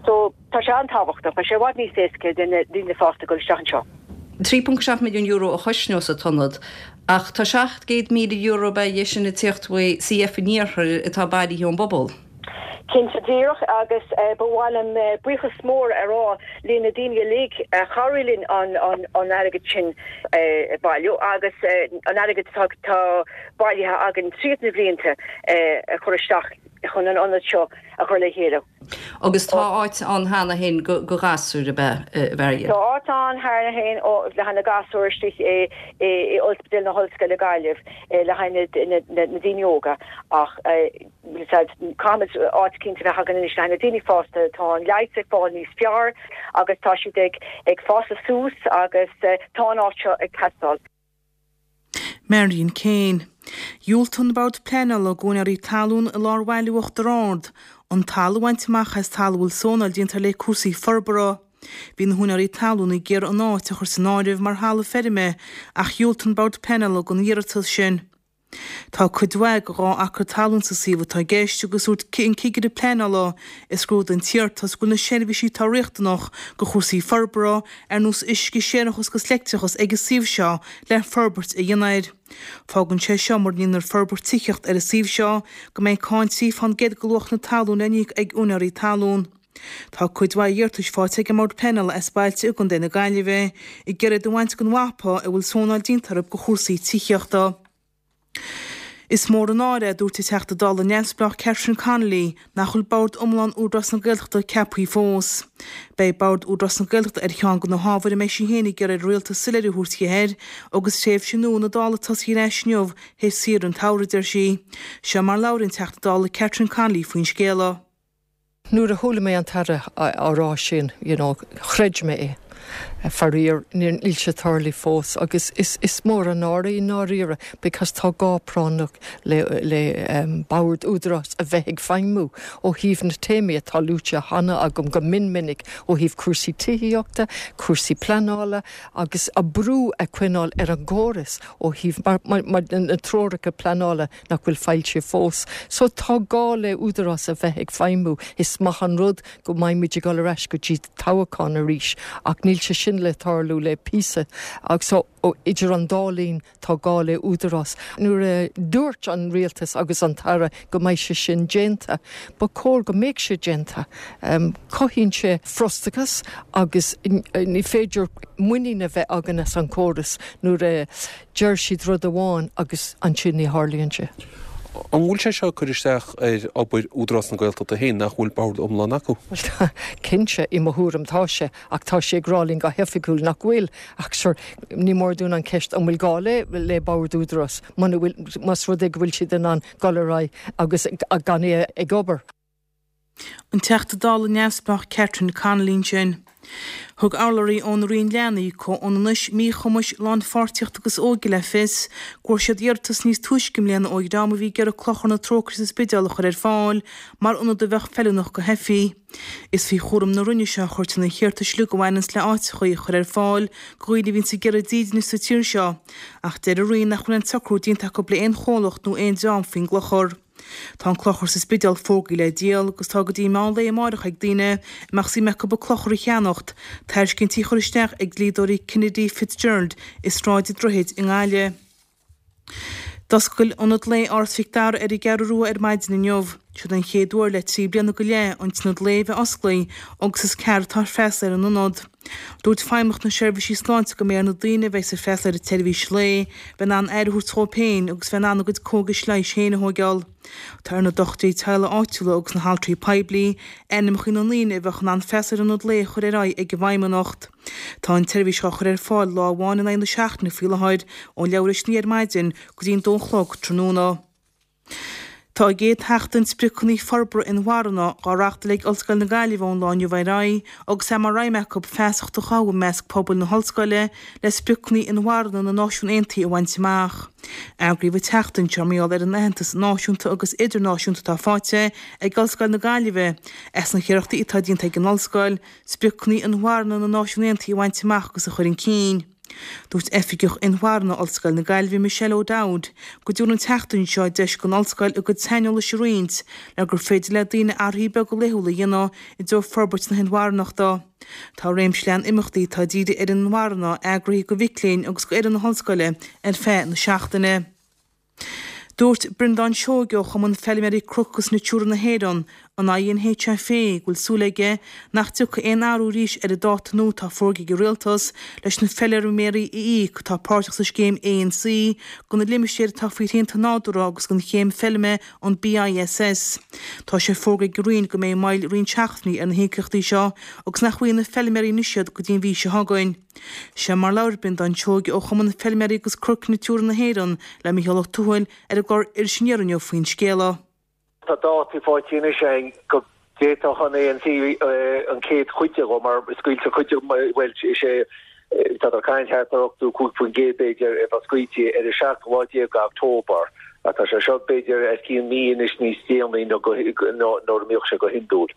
So tá sé an-tábhachtach. Beidh sé i bhfad níos éasca do na daoine fásta dul isteach anseo. €3.7 milliún a chosnós an t-ionad ach tá €700,000 ab ea é sin ag tíocht uaidh CF an Iarthair atá bailithe ón bpobal. Cinnte díreach agus ba mhaith liom buíochas mór a rá le na daoine uilig a chabhraigh linn an airgead sin a bhailiú agus an airgead atá bailithe againn tríd na blianta a chur isteach chun an ionad seo a chur le chéile. Agus tá áit ann cheana féin do ghasúir, ab ea, a Mharion? Tá áit ann cheana féin le haghaidh na gasúir istigh i Ospidéal na hOllscoile Gaillimh le haghaidh na daoine óga ach Caithfimid áit cinnte a bheith againn anois le haghaidh na daoine fásta. Tá an leigheas ag fáil níos fearr agus tá siad ag fás suas agus tá an áit seo ag teastáil. Marion Kane. Dhiúltaigh an Bord Pleanála d'úinéirí talún i lár bhaile Uachtar Ard an talamh a bhaint amach as talamh a bhfuil zónáil déanta air le cúrsaí forbartha. Bhí na húinéirí talún ag iarraidh an áit a chur san áireamh mar thalamh feirme ach dhiúltaigh an Bord Pleanála don iarratas sin. Tá cuid mhaith de 2 acra talún sa suíomh atá i gceist agus dúirt an cigire pleanála a scrúdaigh an t-iarratas go bhfuil na seirbhísí atá riachtanach do chúrsaí forbartha, ar nós uisce, séarachas agus leictreachas ag an suíomh seo le forbairt a dhéanamh air. Fágann sé seo mura ndéanfar forbairt tithíochta ar an suíomh seo go mbeidh cáin 3 fán gcéad de luach na talún le n-íoc ag úinéirí talún. Tá cuid mhaith iarratais faighte ag an mBord Pleanála as bailte i gContae na Gaillimhe ag iarraidh iad a bhaint den mhapa a bhfuil zónáil déanta orthu do chúrsaí tithíochta. Is mór an náire é, a dúirt an Teachta Dála neamhspleách Catherine Connolly, nach bhfuil Bord iomlán Údarás na Gaeltachta ceaptha fós. Beidh Bord Údarás na Gaeltachta ar cheann de na hábhair a mbeidh sí féin ag iarraidh ar an Rialtas soiléiriú a thabhairt di air agus tréimhse nua na Dála tosaithe ar ais inniu théis saoire an tsamhraidh, a deir sí. Seo mar labhair an Teachta Dála Catherine Connolly faoin scéala. Nuair a chuala mé an tAire á rá sin, you know, chreid mé é. Faraor, níl sé tarlaithe fós agus is, is mór an náire i ndáiríre because tá gá práinneach le, le Bord Údarás a bheith ag feidhmiú ó thaobh na téamaí atá luaite cheana agam go mion minic ó thaobh cúrsaí tithíochta, cúrsaí pleanála agus a brú a choinneáil ar an gcóras ó thaobh mar, mar, mar na treoracha pleanála nach bhfuil foilsithe fós. So tá gá le Údarás a bheith ag feidhmiú. Is maith an rud go mbeidh muid ag dul ar ais go dtí toghachán arís ach níl sé sin le tarlú le píosa. So idir an dá linn tá gá le Údarás. Nuair a dúirt an Rialtas agus an tAire go mbeidh sé sin déanta, ba chóir go mbeadh sé déanta. Cothaíonn sé frustrachas agus ní féidir muinín a bheith againn as an chóras nuair a Deir siad rud amháin agus ansin ní tharlaíonn sé. An bhfuil sé seo ag cur isteach ar obair Údarás na Gaeltachta féin, nach bhfuil bord iomlán acu? Bhuel, cinnte, i mo thuairim tá sé, ach tá sé ag rá linn go hoifigiúil nach bhfuil. Ach sure, ní mór dúinn an cheist an bhfuil gá le le bord Údarás muna bhfuil, más rud é go bhfuil siad in ann dul ar aghaidh agus gan é ag obair. An Teachta Dála neamhspleách Catherine Connolly ansin. Thug urlabhraí ón Roinn Leanaí, Comhionannais, Míchumais, Lánpháirtíochta agus Óige le fios go bhfuair siad iarratas níos túisce i mbliana ó dhream a bhí ag iarraidh Clochar na Trócaire sa Spidéal a chur ar fáil mar ionad a bheadh feiliúnach do theifigh. Is faoi chúram na Roinne seo a chuirtear na hiarratais uilig a bhaineanns le áiteachaí a chur ar fáil do dhaoine a bhíonns ag iarraidh dídine sa tír seo ach deir an Roinn nach bhfuil aon socrú déanta acu le aon chomhlacht nó aon dream faoin gClochar. Tá an Clochar sa Spidéal fógraithe le díol agus tá go dtí meán lae amáireach ag daoine a mbeadh suim acu an Clochar a cheannacht, tairiscintí a chur isteach ag dlíodóirí Kennedy Fitzgerald i Sráid an Droichid i nGaillimh. D'oscail Ionad Lae Áras Mhic Dara ar an gCeathrú Rua ar maidin inniu. Siod an chéad uair le 3 bliana go leith an tIonad Lae a bheith osclaithe agus is cearr atá freastal ar an ionad. Dúirt Feidhmeannacht na Seirbhísí Sláinte go mbeidh ar na daoine a bheidh ag freastal ar an tseirbhís lae bheith in ann aire a thabhairt dhóibh féin agus bheith in ann a gcuid cógais leighis féin a thóigeáil. Tá ar na dochtúirí teaghlaigh áitiúla agus na haltraí poiblí ainmneacha na ndaoine a bheadh in ann freastal ar an ionad lae a chur ar aghaidh ag an bhFeidhmeannacht. Tá an tseirbhís á chur ar fáil lá amháin in aghaidh na seachtaine faoi láthair, ón leathuair théis a naoi ar maidin go dtí an dó a chlog tráthnóna. Tá an gcéad Sheachtain Spriocanna Forbartha Inmharthana á reáchtáil ag Ollscoil na Gaillimhe ón lá inniu ar aghaidh agus é mar aidhm acu feasacht a chothú i measc pobail na hollscoile le spriocanna inmharthana na Náisiún Aontaithe a bhaint amach. Eagraíodh an tseachtain seo mar gheall ar an aitheantas náisiúnta agus idirnáisiúnta atá faighte ag Ollscoil na Gaillimhe as na hiarrachtaí atá déanta ag an ollscoil spriocanna inmharthana na Náisiún Aontaithe a bhaint amach agus a chur chun cinn. Dúirt Oifigeach Inmharthana Ollscoil na Gaillimhe Michelle O'Dowd go dtabharann an tseachtain seo deis don ollscoil a gcuid saineolais a roinnt le gur féidir le daoine athruithe beaga laethúla a dhéanamh i dtreo forbairt na hinmharthanachta. Tá réimse leathan imeachtaí atá dírithe ar an inmharthanacht eagraithe do mhic léinn agus d'fhoireann na hollscoile ar feadh na seachtaine. Dúirt Breandán Seoige ó Chumann Feilméaraí Cnoc agus Natura na hÉireann, an INHFA, go bhfuil súil aige nach dtiocfaidh aon athrú arís ar an dáta nua atá fógartha ag an Rialtas leis na feilméaraí a íoc atá páirteach sa scéim ANC do na limistéir atá faoi shrianta nádúrtha agus don chéim feilme an BISS. Tá sé fógartha ag an Roinn go mbeidh moill roinnt seachtainí ar na híocaíochtaí seo agus nach bhfaighidh na feilméaraí anois iad go dtí an mhí seo chugainn. Seo mar labhair Breandán Seoige ó Chumann Feilméaraí agus Cnoic Natura na hÉireann le Mícheál Ó Tuathail ar an gclár Iris Aniar inniu faoin scéala. Tá dátaí faighte anois againn go bhféadfadh an ANC an chéad chuid de dhó mar scaoiltear cuid de, bhuel is é tá ag caint thart ar 85% b'fhéidir a bheith scaoilte ar an seachtú lá déag d'October ach tá sé seo b'fhéidir os cionn mí anois níos déanaí ná nuair a mbíodh sé go hiondúil.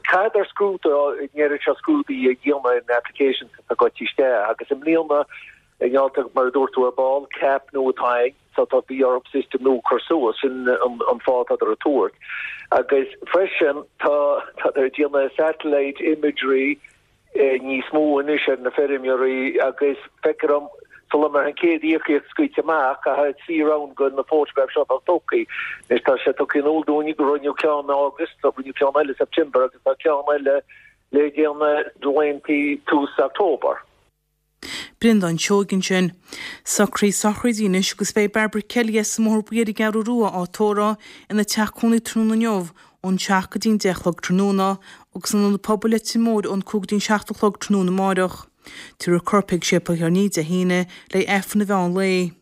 Caithfear scrúdú, an oiread seo scrúdaithe a dhéanamh ar na applications atá gaibhte isteach agus i mbliana. I nGaeltacht, mar a dúirt tú ar ball, CAP nua atá ann, so tá bhí orthu system nua a chur suas, sin an fáth atádar ag tabhairt. Agus freisin tá tádar ag déanamh satellite imagery níos mó anois ar na feirmeoirí agus feictear dom sula mbeidh an chéad íocaíocht scaoilte amach, caithfidh 3 round de na photographs seo a bheith tugtha. Anois tá sé tugtha in iúl dúinn go rinneadh ceann in August, rinneadh ceann eile i September agus tá ceann eile le déanamh laethanta tús October. Breandán Seoighe ansin. Socruithe sochraide anois agus beidh Barbara Kelly as an mBóthar Buí ar an gCeathrú Rua á tórramh ina teach cónaí tráthnóna inniu ón 7 go dtí an 10 a chlog tráthnóna agus in Ionad Pobail Leitir Móir ón 5 go dtí an 7 a chlog tráthnóna amáireach. Tabharfar a corp chuig Séipéal Chill Airne Dé hAoine le Aifreann an mheán lae.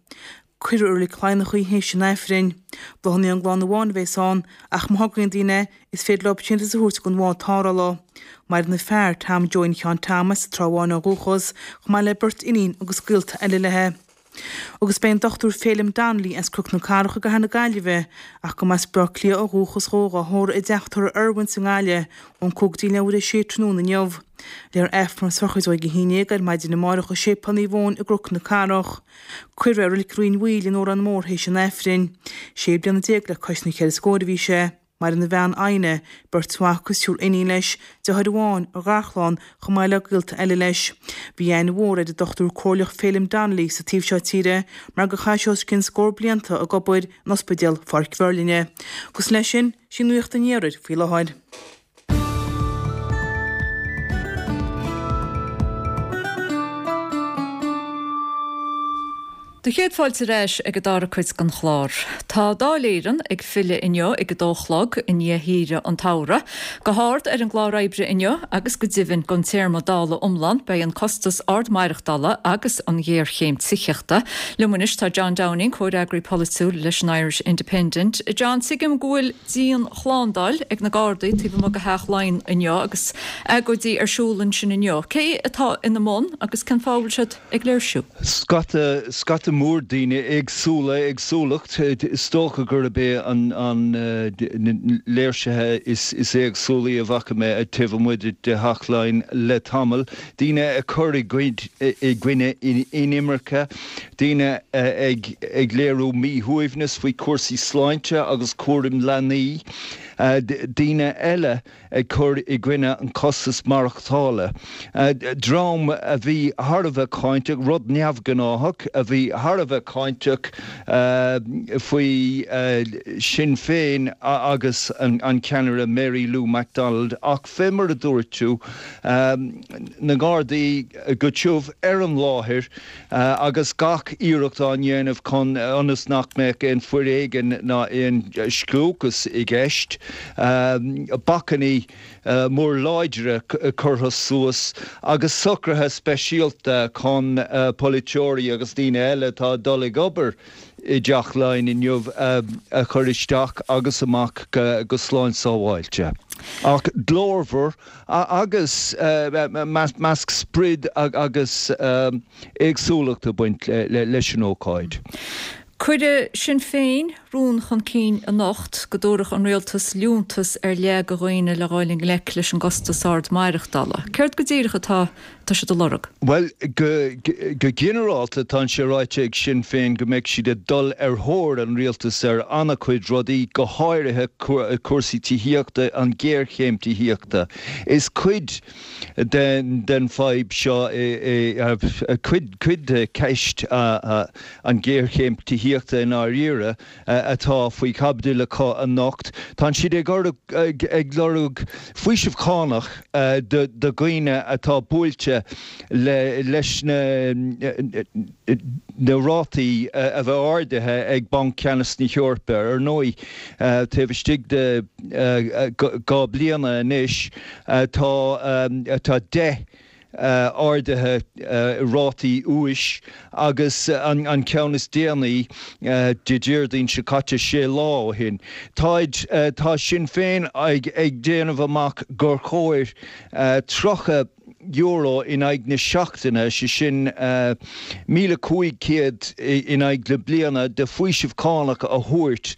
Cuirfear i Reilig Laighneach í théis an Aifrinn. Bláthanna ón gclann amháin a bheas ann, ach má thograíonn daoine, is féidir leo síntiús a thabhairt don bhád tarrthála. Maireann a fear, Tom Joe Sheáin Tom as an Trá Bháin ó dhúchas, chomh maith le beirt iníon agus gaolta eile léi. Agus beidh an Dr Féilim Donnelly as Cnoc na Cathrach i gCathair na Gaillimhe, ach go mb'as Baile Átha Cliath ó dhúchas dhó, dhá thórramh i dteach tórraimh Irwin's i nGaillimh ón 5 go dtí leathuair théis 6 tráthnóna inniu. Léifear Aifreann na sochraide ag a 11 ar maidin amárach i Séipéal Naomh Eoin i gCnoc na Cathrach. Cuirfear é i Reilig Rinn Mhaoil in Órán Mór théis an Aifrinn. Sé bliana le cois na cheithre scór a bhí sé. Maireann a bhean Adhna, beirt mhac agus triúr iníon leis, deartháir amháin, a gharchlann, chomh maith le gaolta eile leis. Bhí aithne mhór ar an Dr Comhairleach Féilim Donnelly sa taobh seo tíre mar gur chaith sé os cionn scór blianta ag obair in Ospidéal Pháirc Mheirlinne. Agus leis sin, sí Nuacht an Iarthair faoi láthair. Do chéad fáilte ar ais ag an dara cuid den chlár. Tá Dáil Éireann ag filleadh inniu ag a dó a chlog i ndiaidh shaoire an tsamhraidh. Go hard ar an gclár oibre inniu agus go deimhin don téarma Dála iomlán beidh an costas ard maireachtála agus an ghéarchéim tithíochta. Liom anois tá John Downing, comhfhreagraí polaitiúil leis an Irish Independent. John, tuigim go bhfuil dianshlándáil ag na Gardaí taobh amuigh de Theach Laighean inniu agus agóidí ar siúl ansin inniu. Cé atá ina mbun agus cén fáth a bhfuil siad ag léirsiú? Scata, scata mór daoine éagsúla, éagsúlacht, is dócha gurb é an, an, na léirsithe is, is éagsúlaí a bhfaca mé taobh amuigh de Theach Laighean le tamall. Daoine ag cur i gcoinne inimirce, daoine ag léiriú míshuaimhneas faoi chúrsaí sláinte agus cúram leanaí, daoine eile ag cur i gcoinne an costas maireachtála. Dream a bhí thar a bheith cáinteach, rud neamhghnáthach, a bhí thar a bheith cáinteach faoi Sinn Féin agus an ceannaire Mary Lou McDonald ach fé mar a dúirt tú, na Gardaí go tiubh ar an láthair agus gach iarracht á ndéanamh chun ionas nach mbeadh aon foréigean ná aon scliúchas i gceist. Bacainní mór láidre curtha suas agus socruithe speisialta chun polaiteoirí agus daoine eile atá ag dul ag obair i dTeach Laighean inniu a chur isteach agus amach go slán sábháilte. Ach glórmhar agus measc sprid agus éagsúlacht ag baint leis an ócáid. Cuireadh Sinn Féin rún chun cinn anocht go dtabharfadh an rialtas liúntas ar leith do dhaoine le dhul i ngleic leis an gcostas ard maireachtála. Céard go díreach atá tá siad a lorg? Bhuel, go ginearálta, tá sé ráite ag Sinn Féin go mbeidh siad ag dul ar thóir an rialtais ar an-chuid rudaí, go háirithe cúrsaí tithíochta, an ghéarchéim tithíochta. Is cuid den fadhb seo é, cuid de cheist an ghéarchéim tithíochta i ndáiríre. atá faoi chaibidil acu anocht. Tá siad ag lorg faoiseamh cánach do dhaoine atá buailte leis na rátaí a bheith ardaithe ag Banc Ceannais na hEorpa. Ar ndóigh, taobh istigh de 2 bliana anois, tá 10 arduithe rátaí úis agus an ceann is déanaí Dé Déardaoin seo caite, sé lá ó shin. Táid, tá Sinn Féin ag déanamh amach gur chóir 30. €1 in aghaidh na seachtaine, sé sin 1,500 in aghaidh na bliana, de faoiseamh cánach a thabhairt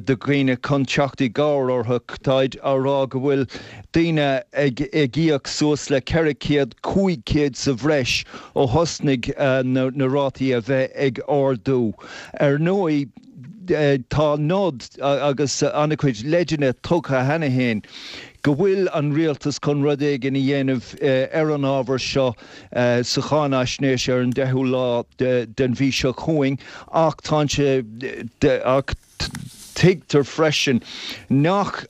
do dhaoine chun teacht i gcabhair orthu. Táid á rá go bhfuil daoine ag íoc suas le 400, 500 sa bhreis ó thosnaigh na rátaí a bheith ag ardú. Ar ndóigh, tá nod agus an-chuid leideanna tugtha cheana féin go bhfuil an rialtas chun rud éigin a dhéanamh ar an ábhar seo sa cháinaisnéis ar an 10ú lá den mhí seo chugainn ach tá sé ach tuigtear freisin nach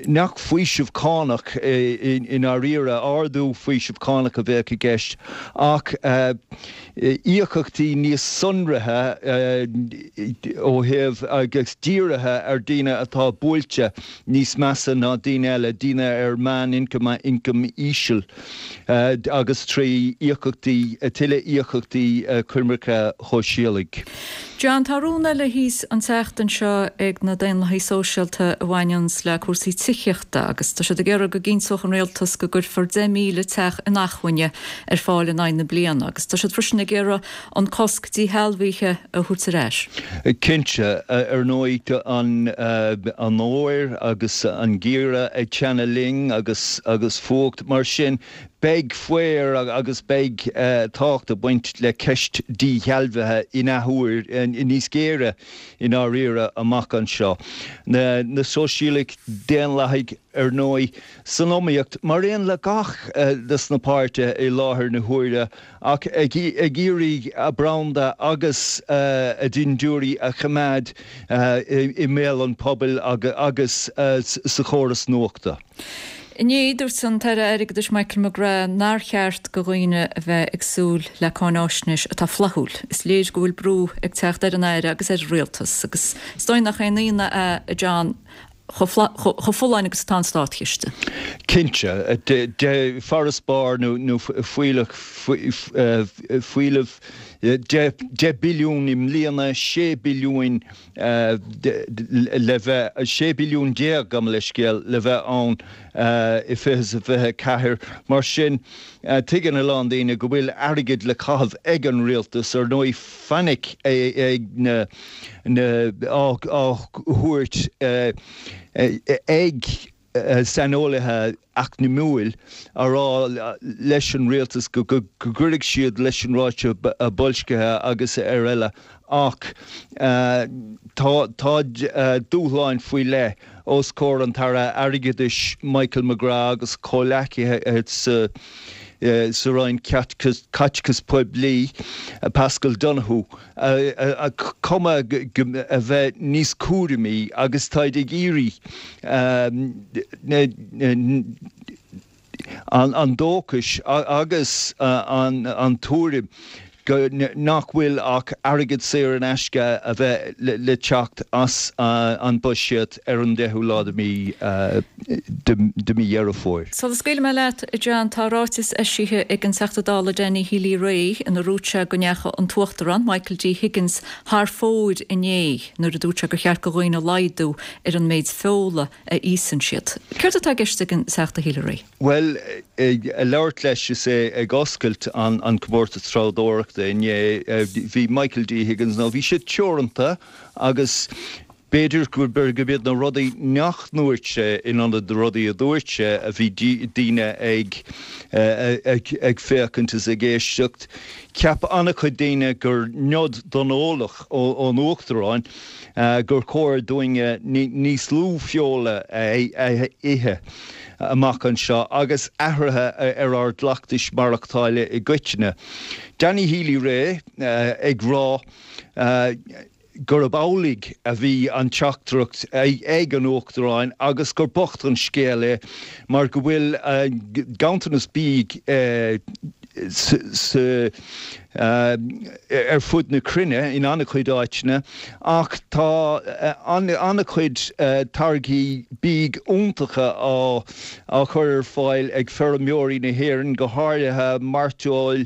nach faoiseamh cánach i ndáiríre, ardú faoiseamh cánach a bheadh i gceist ach íocaíochtaí níos sonraithe ó thaobh agus dírithe ar daoine atá buailte níos measa ná daoine eile, daoine ar meán-ioncam, ioncam íseal agus trí íocaíochtaí, tuilleadh íocaíochtaí coimirce shóisialaigh. John, tá rún eile thíos an tseachtain seo ag na Daonlathaigh Sóisialta a bhaineanns le cúrsaí tithíochta agus tá siad ag iarraidh go gcinnteodh an rialtas go gcuirfear 10,000 teach inacmhainne ar fáil in aghaidh na bliana agus tá siad freisin ag iarraidh an cosc díshealbhaithe a thabhairt ar ais. Cinnte, ar ndóigh, tá an fhómhair agus an geimhreadh ag teannadh linn agus agus fuacht, mar sin beidh faobhar agus beidh tábhacht ag baint le ceist díshealbhaithe in athuair, níos géire i ndáiríre amach anseo. Na Sóisialaigh Daonlathaigh, ar ndóigh, san iomaíocht, mar aon le gach des na páirtithe i láthair na huaire, ach ag iarraidh a branda agus a ndintiúirí a choimeád i mbéal an phobail agus sa chóras nuachta. Inné, dúirt an tAire Airgeadais Michael McGrath nár cheart do dhaoine a bheith ag súil le cáináisnéis atá flaithiúil. Is léir go bhfuil brú ag teacht ar an Aire agus ar an Rialtas agus is dóigh nach aon ionadh é, a John, chomh folláin agus atá an státchiste. Cinnte, farasbarr nó fuílleach, fuílleamh 10 billiún i mbliana, 16 billiún le bheith, 16 billiún, gabh mo leithscéal, le bheith ann i 2024. Mar sin, tuigeann a lán daoine go bhfuil airgead le caitheamh ag an rialtas. Ar ndóigh, fainic ag na, á thabhairt ag saineolaithe eacnamúil á rá leis an rialtas go gcuirfidh siad leis an ráta boilscithe agus ar eile ach tá dúshláin faoi leith os comhair an tAire Airgeadais Michael McGrath agus a chomhleacaithe sa Roinn Caiteachais Poiblí, Paschal Donohoe. cuma a bheith níos cúramaí agus táid ag iarraidh an dóchais agus an tuairim go nach bhfuil ach airgead saor in aisce a bheith le teacht as an buiséad ar an 10ú lá de mhí de mhí Dheireadh Fómhair. Sula scaoilfidh mé leat, a John, tá ráiteas eisithe ag an Teachta Dála Danny Healy-Rae ina ndúirt sé go ndeachaigh an tUachtarán, Michael D. Higgins, thar fóir inné nuair a dúirt sé gur cheart do dhaoine laghdú ar an méid feola a íosann siad. Céard atá i gceist ag an Teachta Healy-Rae? Bhuel, ag labhairt leis is é ag oscailt an comórtas treabhdóireachta inné, bhí Michael D. Higgins, nó bhí sé teoranta agus B'fhéidir gurb iad na rudaí nach ndúirt sé in ionad na rudaí a dúirt sé a bhí daoine ag ag féachaint is ag éisteacht. Cheap an-chuid daoine gur nod don eolach ón Uachtarán gur chóir dúinne níos lú feola a ithe amach anseo agus athruithe ar ár gcleachtais maireachtála i gcoitinne. Danny Healy-Rae ag rá. gurb amhlaidh a bhí an teachtaireacht ag an Uachtarán agus gur bocht an scéal é mar go bhfuil ganntanas bídh ar fud na cruinne in an-chuid áiteanna ach tá an-chuid táirgí bídh iontacha á chur ar fáil ag feirmeoirí na hÉireann, go háirithe mairteoil,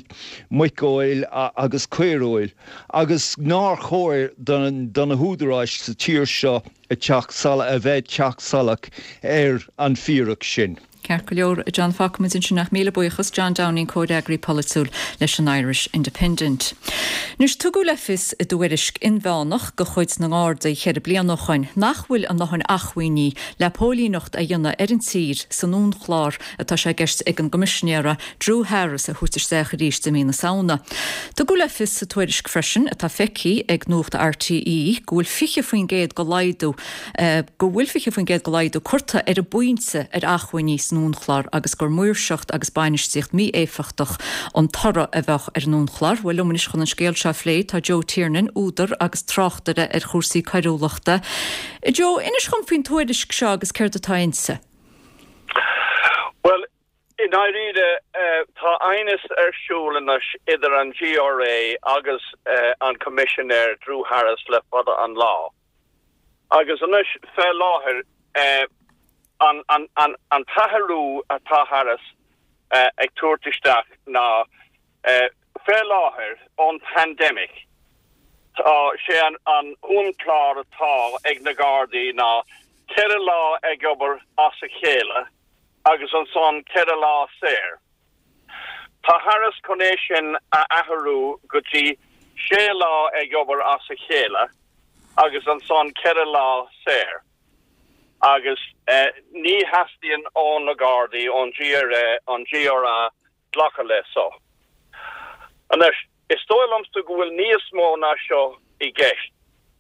muiceoil agus caoireoil. agus nár chóir do na húdaráis sa tír seo a teacht a bheith ag teacht salach ar an bhfíric sin. Ceart go leor, a John, fágfaimid ansin ach míle buíochas, John Downing, Comhfhreagraí Polaitiúil leis an Irish Independent. Anois, tugadh le fios i dtuairisc inmheánach de chuid na nGardaí cheithre bliana ó shoin nach bhfuil a ndóthain acmhainní le póilíneacht a dhéanamh ar an tír san uaimchlár atá sé i gceist ag an gCoimisinéara Drew Harris a thabhairt isteach arís i mí na Samhna. Tugadh le fios sa tuairisc freisin, atá feicthe ag Nuacht RTÉ, go bhfuil 20% de laghdú go bhfuil 20% de laghdú curtha ar an bpointe ar acmhainní san uaimchlár agus gur maoirseacht agus bainistíocht mí-éifeachtach an toradh a bheadh ar an uaimchlár. Bhuel, liom anois chun an scéal seo a phlé tá Joe Tiernan, údar agus tráchtaire ar chúrsaí coiriúlachta. Joe, inis dhom faoin tuairisc seo agus céard atá inti. Bhuel, i ndáiríre, tá aighneas ar siúl anois idir an GRA agus an Coimisinéir Drew Harris le fada an lá. Agus anois, fé láthair, an t-athrú atá Harris ag tabhairt isteach ná, fé láthair, ón pandemic, tá sé an uaimchlár atá ag na Gardaí ná 4 lá ag obair as a chéile agus ansan 4 lá saor. Tá Harris chun é sin a athrú go dtí sé lá ag obair as a chéile agus ansan 4 lá saor. Agus ní theastaíonn ó na Gardaí, ón GRA, an GRA glacadh le so. Anois, is dóigh liomsa go bhfuil níos mó ná seo i gceist.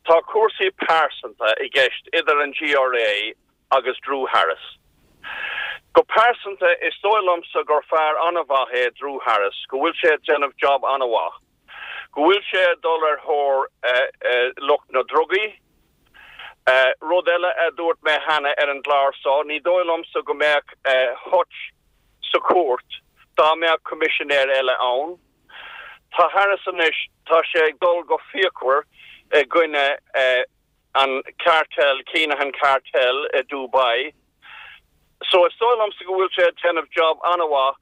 Tá cúrsaí pearsanta i gceist idir an GRA agus Drew Harris. Go pearsanta, is dóigh liomsa gur fear an-mhaith é Drew Harris, go bhfuil sé ag déanamh job an-mhaith, go bhfuil sé ag dul ar thóir lucht na ndrugaí. Rud eile a dúirt mé cheana ar an gclár seo, ní dóigh liomsa go mbeadh Hutch sa chúirt dá mbeadh coimisinéir eile ann. Tá Harris anois, tá sé ag dul go fíochmhar i gcoinne an cartel, Kinahan Cartel i Dubai. So is dóigh liomsa go bhfuil sé ag déanamh job an-mhaith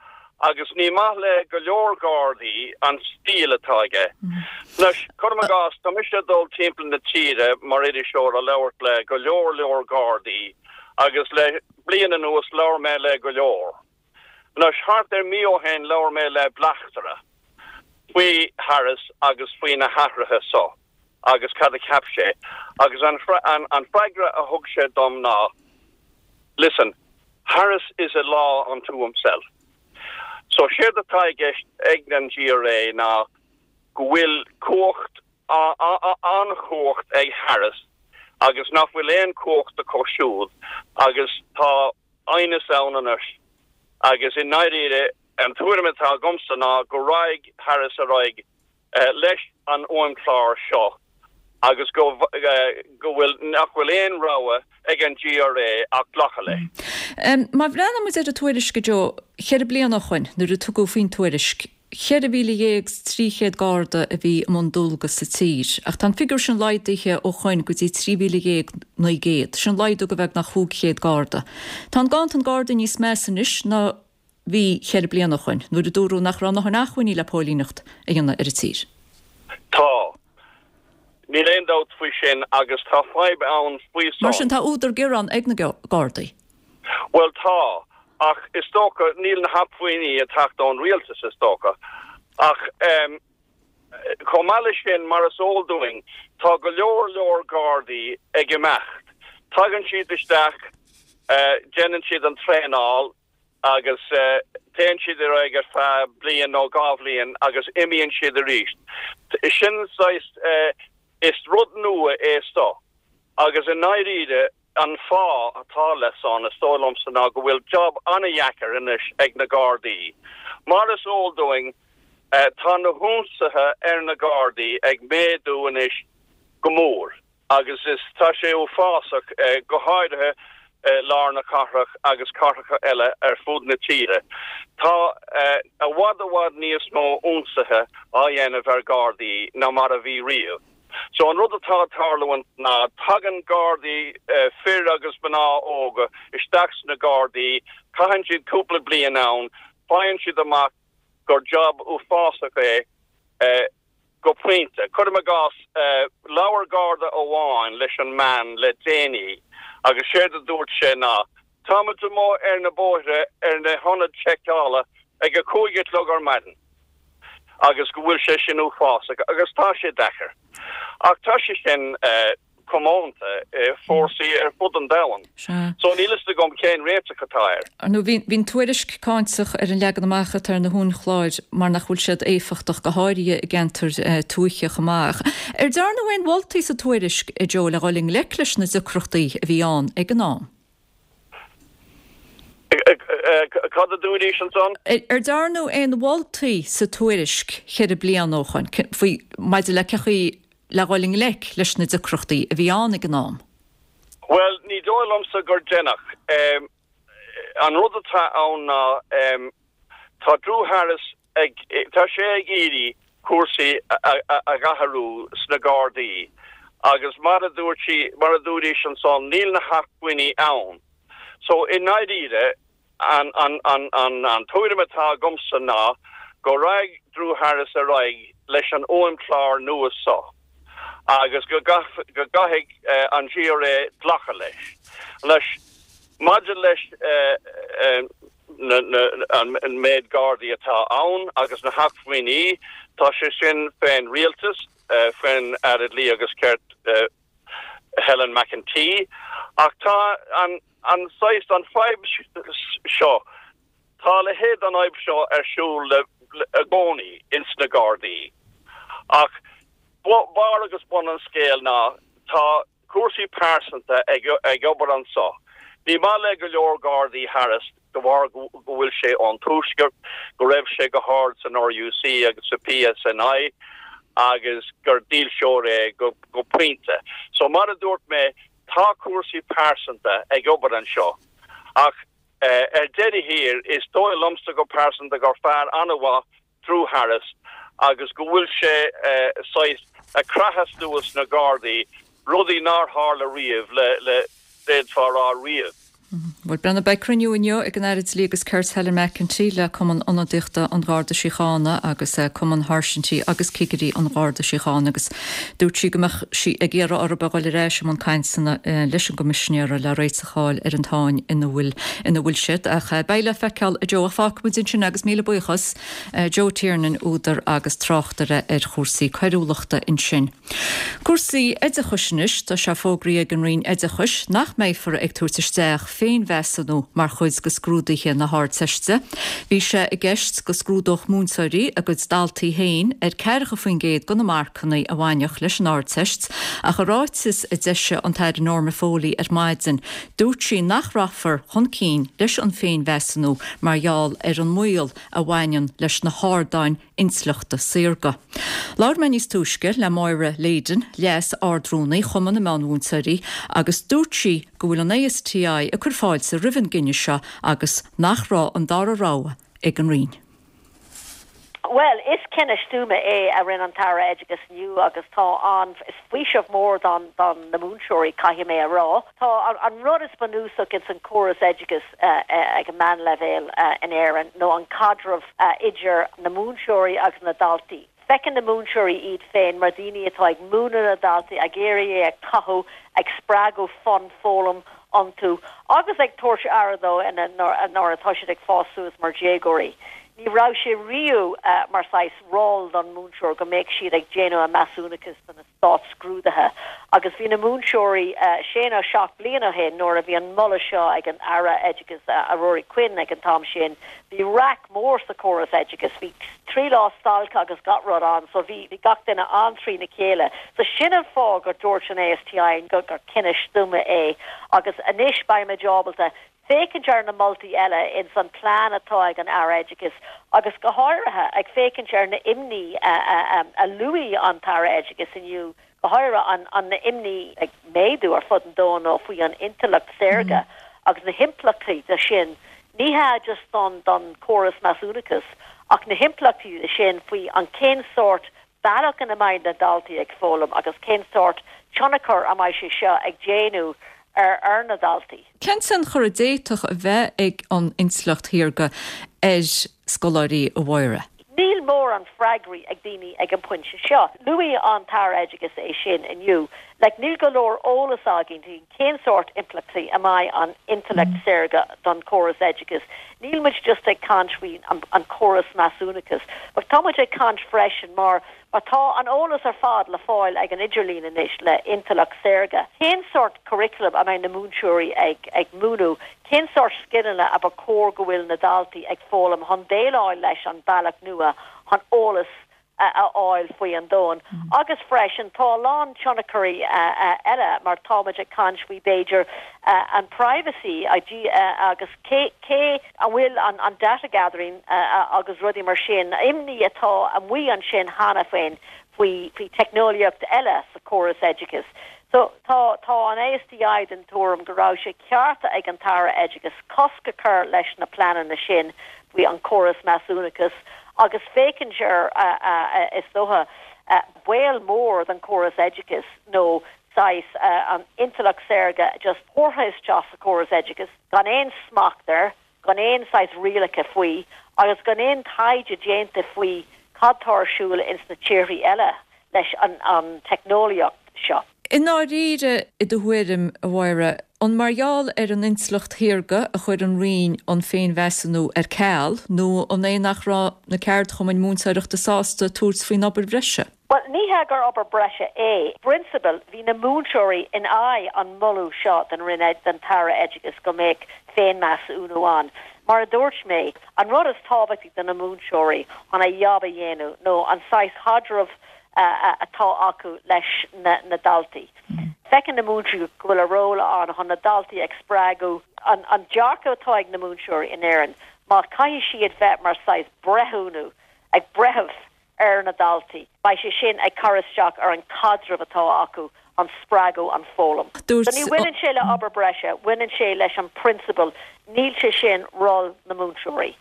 agus ní maith le go leor Gardaí an stíl atá aige. Anois, cuirim i gcás, tá mise ag dul timpeall na tíre mar iriseoir ag labhairt le go leor leor Gardaí agus le bliain anuas labhair mé le go leor. Anois, thart ar mí ó shin labhair mé le bleachtaire faoi Harris agus faoi na hathruithe so agus cad a cheap sé agus an an freagra a thug sé dom ná Listen, Harris is a law unto himself. So séard atá i gceist ag an GRA ná go bhfuil cumhacht an-chumhacht ag Harris agus nach bhfuil aon chumhacht acu siúd agus tá aighneas ann anois agus i ndáiríre an tuairim atá agamsa ná go raghaidh Harris ar aghaidh leis an uaimchlár seo agus go go bhfuil nach bhfuil aon rogha ag an GRA ach glacadh leis. Má bhreathnaíonn muid ar an tuairisc, a Joe, cheithre bliana ó shoin nuair a tugadh faoin tuairisc, 14,300 Garda a bhí i mbun dualgas sa tír, ach tá an figiúr sin laghdaithe ó shoin go dtí 13,900. Sin laghdú de bheagnach 500 Garda. Tá an ganntan Gardaí níos measa anois ná bhí cheithre bliana ó shoin, nuair a dúradh nach raibh a ndóthain acmhainní le póilíneacht a dhéanamh ar an tír. Tá. Níl aon dabht faoi sin agus tá fadhb ann faoi san. Mar sin tá údar gearáin ag na Gardaí. Bhuel tá, ach is dócha, níl na hacmhainní ag teacht ón rialtas is dócha. Ach ehm chomh maith leis sin, mar is eol dúinn, tá go leor leor Gardaí ag imeacht. Tagann siad isteach, déanann siad an traenáil agus téann siad ar aghaidh ar feadh bliain nó dhá bhliain agus imíonn siad arís. Sin saghas, is rud nua é seo agus i ndáiríre, An fáth atá le san, is dóigh liomsa, ná go bhfuil job an-dheacair anois ag na Gardaí. Mar is eol dúinn, tá na hionsaithe ar na Gardaí ag méadú anois go mór agus is tá sé uafásach, go háirithe lár na cathrach agus cathracha eile ar fud na tíre. Tá i bhfad i bhfad níos mó ionsaithe á dhéanamh ar Ghardaí ná mar a bhí riamh. So an rud atá ag tarlúint ná tagann Gardaí, fir agus mná óga, isteach sna Gardaí, caitheann siad cúpla bliain ann, faigheann siad amach gur job uafásach é go pointe. Cuirim i gcás, labhair Garda amháin leis an meán le déanaí agus séard a dúirt sé ná. Táimid amuigh ar na bóithre ar na hionaid seiceála ag a 5 a chlog ar maidin agus go bhfuil sé sin uafásach agus tá sé deacair. Ach tá sé sin comónta i fórsaí ar fud an domhain. So níl fhios agam cén réiteach atá air. Ar ndóigh, bhí an tuairisc cáinteach ar an leagan amach atá ar na huainchláir mar nach bhfuil siad éifeachtach, go háirithe i gceantair tuaithe chomh maith. Ar dearnadh aon mholtaí sa tuairisc, a Joe, le dhul i ngleic leis na deacrachtaí a bhí ann ag an am? Cad a dúraís ansan? Ar dearnadh aon mholtaí sa tuairisc cheithre bliana ó shoin faoi maidir le cé chaoi le dhul i ngleic leis na deacrachtaí a bhí ann ag an am? Bhuel, ní dóigh liomsa gur deineadh. An rud atá ann ná tá Drew Harris ag, tá sé ag iarraidh cúrsaí a dh'athrú sna Gardaí agus mar a dúirt sí, mar a dúraís ansan, níl na hacmhainní ann. So, i ndáiríre, an, an, an, an, an tuairim atá agamsa ná go raghaidh Drew Harris ar aghaidh leis an uaimchlár nua so agus go go gcaithfidh an GRA glacadh leis. Anois, maidir leis an méid Gardaí atá ann agus na hacmhainní, tá sé sin fén rialtas, faoin Aire Dlí agus Cirt Helen McEntee. Ach tá an saghas, an fadhb seo, tá a leithéid den fhadhb seo ar siúl i gcónaí ins na Gardaí. Ach barr agus bun an scéil ná tá cúrsaí pearsanta ag obair anso. Ní maith le go leor Gardaí Harris de bharr go bhfuil sé ón Tuaisceart, go raibh sé go hard san RUC agus sa PSNI agus gur dílseoir é go pointe. So mar a dúirt mé, tá cúrsaí pearsanta ag obair anseo. Ach ar deireadh thiar, is dóigh liomsa go pearsanta gur fear an-mhaith Drew Harris agus go bhfuil sé saghas ag creathadh suas na Gardaí, rudaí nár tharla riamh le, le, d'fhéadfá a rá riamh. Bhuel, Brendan, beidh cruinniú inniu ag an Aire Dlí agus Cirt Helen McEntee le Cumann Ionadaíochta an Gharda Síochána agus Cumann Sháirsintí agus Cigirí an Gharda Síochána agus dúirt sí go mbeadh sí ag iarraidh orthu a dhul ar ais i mbun cainteanna leis an gCoimisinéara le réiteach a fháil ar an tsáinn ina bhfuil ina bhfuil siad. Ach beidh le feiceáil, a Joe. Ach fágfaimid ansin é agus míle buíochas, Joe Tiernan, údar agus tráchtaire ar chúrsaí coiriúlachta ansin. Cúrsaí oideachais anois. Tá sé fógraithe ag an Roinn Oideachais nach mbeifear ag tabhairt isteach féinmheasúnú mar chuid de scrúduithe na hArdteiste. Bhí sé i gceist go scrúdódh múinteoirí a gcuid daltaí féin ar 40% de na marcanna a bhainfeadh leis an Ardteist ach i ráiteas a d'eisigh an tAire Norma Foley ar maidin dúirt sí nach rachfar chun cinn leis an féinmheasúnú mar gheall ar an mbaol a bhaineann leis na hardáin intleachta saorga. Labhair mé níos túisce le Máire Leyden, Leas-Ard-Rúnaí Chumann na Meánmhúinteoirí agus dúirt sí go bhfuil an ASTI ag cur fáilte roimh an gcinneadh seo agus nach raibh an dara rogha ag an Roinn. Bhuel, is cinneadh stuama é a rinne an tAire Oideachais inniu agus tá an, is faoiseamh mór don, don na múinteoirí, caithfidh mé a rá. Tá an rud is bunúsach ins an córas oideachais ag an meánleibhéal in Éirinn nó an caidreamh idir na múinteoirí agus na daltaí. Feiceann na múinteoirí iad féin mar daoine atá ag múineadh na daltaí, ag iarraidh é a chothú, ag spreagadh fonn foghlaim iontu agus ag tabhairt aire dóibh nuair atá siad ag fás suas mar dhéagóirí. Ní raibh sé riamh mar saghas ról don múinteoir go mbeadh siad ag déanamh an measúnachas do na státscrúduithe agus bhí na múinteoirí sé nó 7 bliain ó shin nuair a bhí an moladh seo ag an Aire Oideachais Ruairí Quinn ag an t-am sin bhí raic mór sa chóras oideachais bhí 3 lá stailce agus gach rud ann so bhí bhí gach duine an-trína chéile so sin an fáth gur dúirt an ASTI gur cinneadh stuama é agus anois beimid ábalta féachaint ar na moltaí eile ins an plean atá ag an Aire Oideachais agus go háirithe ag féachaint ar na imní a luaigh an tAire Oideachais inniu, go háirithe an an imní ag méadú ar fud an domhain nó faoi an intleacht saorga agus na himpleachtaí de sin, ní hea just don don córas measúnachais ach na himpleachtaí de sin faoi an cén sórt bealach ina mbeidh na daltaí ag foghlaim agus cén sórt tionchar a mbeidh sé seo ag déanamh ar ar na daltaí. Cén tionchar a d'fhéadfadh a bheith ag an intleacht shaorga ar scoláirí, a Mháire? Níl mórán freagraí ag daoine ag an bpointe seo. Luaigh an tAire Oideachais é sin inniu. Like, níl go leor eolas againn faoi cén sórt impleachtaí a mbeidh an intleacht saorga don chóras oideachais. Níl muid just ag caint faoi an córas measúnachais, but tá muid ag caint freisin mar mar tá an eolas ar fad le fáil ag an idirlíon anois le intleacht saorga. Cén sórt curriculum a mbeidh na múinteoirí ag ag múineadh? Cén sórt scileanna a ba chóir go bhfuil na daltaí ag foghlaim chun déileáil leis an bealach nua chun eolas a fháil faoi an domhan. Agus freisin tá a lán tionchairí eile mar táimid ag caint faoi b'fhéidir an privacy agus cé cé an bhfuil an data gathering agus rudaí mar sin, imní atá amuigh ansin cheana féin faoi faoi teicneolaíocht eile sa chóras oideachais. So tá tá an ASTI den tuairim go raibh sé ceart ag an tAire Oideachais cosc a chur leis na pleananna sin faoi an córas measúnachais agus féachaint ar, is dócha, baol mór don chóras oideachais nó saghas an intleacht saorga just thabhartha isteach sa chóras oideachais gan aon smacht air, gan aon saghas rialacha faoi agus gan aon taighde déanta faoi cad tá ar siúl ins na tíorthaí eile leis an teicneolaíocht seo. I ndáiríre, i do thuairim, a Mháire, an mar gheall ar an intleacht shaorga a chuir an Roinn an féinmheasúnú ar ceal nó an é nach raibh na ceardchumainn múinteoireachta sásta tabhairt faoin obair bhreise? Bhuel, ní hea gur obair breise é. I bprionsabal, bhí na múinteoirí in aghaidh an moladh seo den Roinn, den tAire Oideachais go mbeadh féinmheasúnú ann. Mar a dúirt mé, an rud is tábhachtaí do na múinteoirí chun a jab a dhéanamh nó an saghas chaidreamh atá acu leis na daltaí. Feiceann na múinteoirí go bhfuil a ról ann chun na daltaí ag spreagadh. An dearcadh atá ag na múinteoirí in Éirinn, má caithfidh siad bheith mar saghas breithiúnú, ag breitheamh ar na daltaí, beidh sé sin ag cur isteach ar an caidreamh atá acu, an spreagadh, an foghlaim. Dúirt. So ní bhaineann sé le obair breise, bhaineann sé leis an prionsabal, níl sé sin ról na múinteoirí.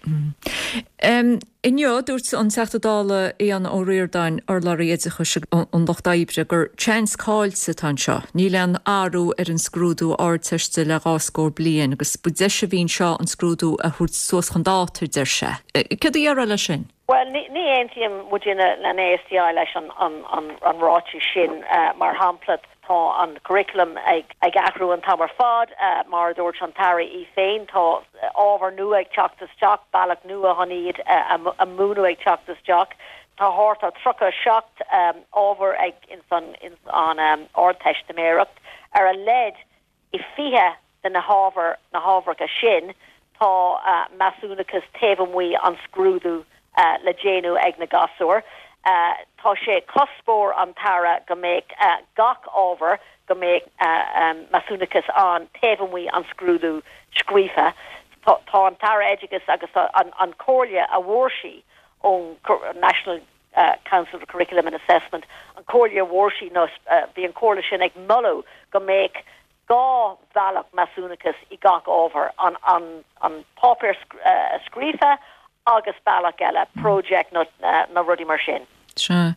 Inniu, dúirt an Teachta Dála Aodhán Ó Ríordáin, urlabhraí oideachais an Lucht Oibre, gur seans caillte atá anseo. Níl aon athrú ar an scrúdú Ardteiste le dhá scór bliain agus ba deis a bhí anseo an scrúdú a thabhairt suas chun dáta, a deir sé. Céard a déarfá leis sin? Bhuel, ní aontaíonn muidinne an ASTI leis an ráiteas sin. Mar shampla, tá an curriculum ag athrú an t-am ar fad. Mar a dúirt an tAire í féin, tá ábhar nua ag teacht isteach, bealach nua chun iad a múineadh ag teacht isteach. Tá thart ar 37 ábhar ag ins an Ardteistiméireacht. Ar a laghad I 20 de na hábhair, na hábharacha sin, tá measúnachas taobh amuigh an scrúdú le déanamh ag na gasúir. Tá sé cuspóir an tAire go mbeadh gach ábhar, go mbeadh measúnachas ann taobh amuigh an scrúdú scríofa. Tá an tAire Oideachais agus an comhairle a bhfuair sí ón National Council for Curriculum and Assessment, an comhairle a bhfuair sí nó bhí an comhairle sin ag moladh go mbeadh 2 bhealach measúnachas i gach ábhar, an an páipéar scríofa agus bealach eile, project nó nó rudaí mar sin. Sea.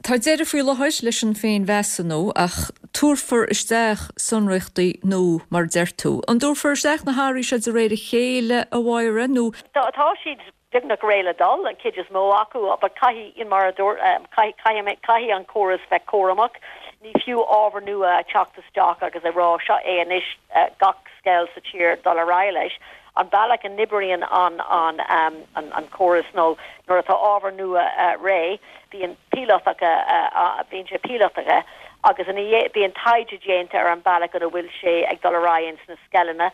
Tá deireadh faoi láthair leis an féinmheasúnú ach tabharfar isteach sonraíochtaí nua mar a deir tú. An dtabharfar isteach na hathruithe seo de réir a chéile, a Mháire, nó? Tá siad beagnach réidh le dul, an chuid is mó acu, but caithfidh, mar a dúirt, caithfidh, caithfidh an córas bheith cúramach. Ní fiú ábhar nua a teacht isteach agus a rá seo é anois gach scoil sa tír dul ar aghaidh leis. An bealach a n-oibríonn an, an, an, an córas nó nuair atá ábhar nua réidh, bíonn píolótacha, bíonn sé píolótaithe agus ina dhiaidh, bíonn taighde déanta ar an bealach ina bhfuil sé ag dul ar aghaidh ins na scoileanna.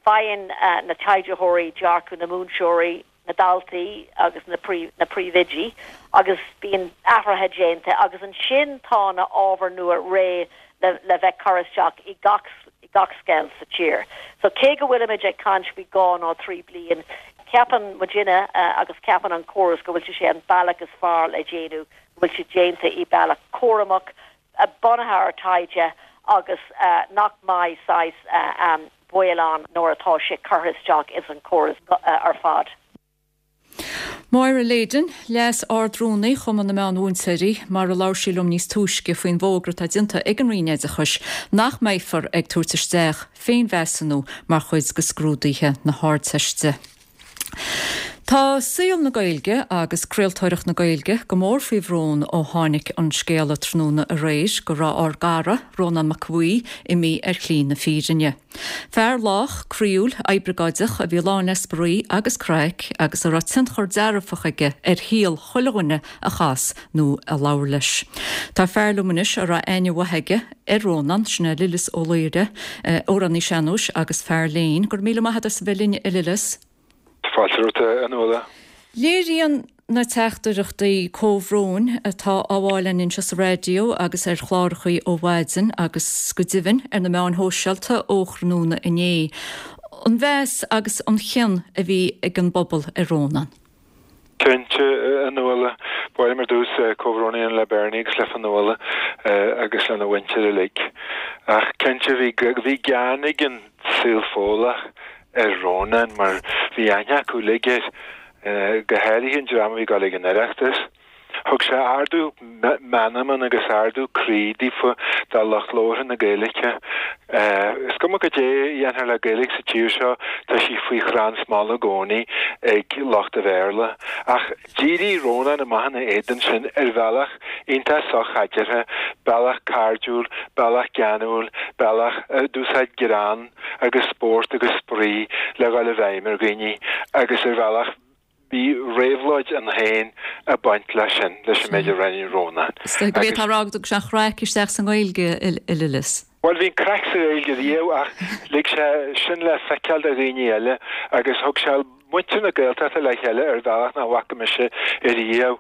Faigheann na taighdeoirí dearcadh na múinteoirí, na daltaí agus na na príomhoidí agus bíonn athruithe déanta agus ansin tá na ábhair nua réidh le le bheith curtha isteach i gach i gach scoil sa tír. So cé go bhfuilimid ag caint faoi dhá nó trí bliain, ceapann muidinne agus ceapann an córas go bhfuil sé an bealach is fearr le déanamh, go bhfuil sé déanta i bealach cúramach, bunaithe ar taighde agus nach mbeidh saghas baol ann nuair atá sé curtha isteach ins an chóras ar fad. Máire Leyden, Leas-Ard-Rúnaí Chumann na Meán-Mhúinteoirí, mar a labhair sí liom níos túisce faoin bhfógra atá déanta ag an Roinn Oideachais nach mbeifear ag tabhairt isteach féinmheasúnú mar chuid de scrúduithe na hArdteiste. Tá saol na Gaeilge agus craoltóireacht na Gaeilge go mór faoi bhrón ó tháinig an scéala tráthnóna aréir go raibh ár gcara, Rónán Mac Aodha Bhuí, imithe ar shlí na fírinne. Fear lách, croíúil, oibreagáideach a bhí lán le spraoi agus craic agus a raibh tionchar dearfach aige ar shaol chuile dhuine a chas nó a labhair leis. Tá fear liom anois a raibh aithne mhaith aige ar Rónán, sin é Lillis Ó Laoire, amhránaí sean-nóis agus fear léinn. Go raibh míle maith agat as a bheith linn, a Lillis. Fáilte romhat, a Nuala. Léiríonn na teachtaireachtaí comhbhróin atá á bhfáil againn anseo sa raidió agus ar chlárachaí ó mhaidin agus go deimhin ar na meáin shóisialta ó thráthnóna inné, an mheas agus an chion a bhí ag an bpobal ar Rónán. Cinnte, a Nuala. Ba mhaith liom ar dtús comhbhrón a dhéanamh le Bernie agus le Fionnuala agus lena mhuintir uilig. Ach cinnte bhí bhí gean ag an saol Fódhlach ar Rónán mar bhí aithne acu uilig air, go háirithe an dream a bhí ag dul ag an Oireachtas. Thug sé ardú meanman agus ardú croí daofa, do lucht labhartha na Gaeilge. Is cuma cad é a dhéanfar le Gaeilge sa tír seo, tá sí faoi chrann smála i gcónaí ag lucht an Bhéarla. Ach d'éirigh Rónán amach ina éadan sin ar bhealach iontach sochaidéartha, bealach cairdiúil, bealach geanúil, bealach a d'úsáid greann agus spórt agus spraoi le dhul i bhfeidhm ar dhaoine agus ar bhealach Bhí réabhlóid ann féin ag baint leis sin, leis an méid a rinne Rónán. Is dóigh gurb é atá á rá agat go dtug sé an chraic isteach sa nGaeilge, a Lillis. Bhuel, bhí an craic sa Ghaeilge riamh ach lig sé sin le feiceáil do dhaoine eile agus thug sé muintir na Gaeltachta le chéile ar bhealach nach bhfaca mise ariamh.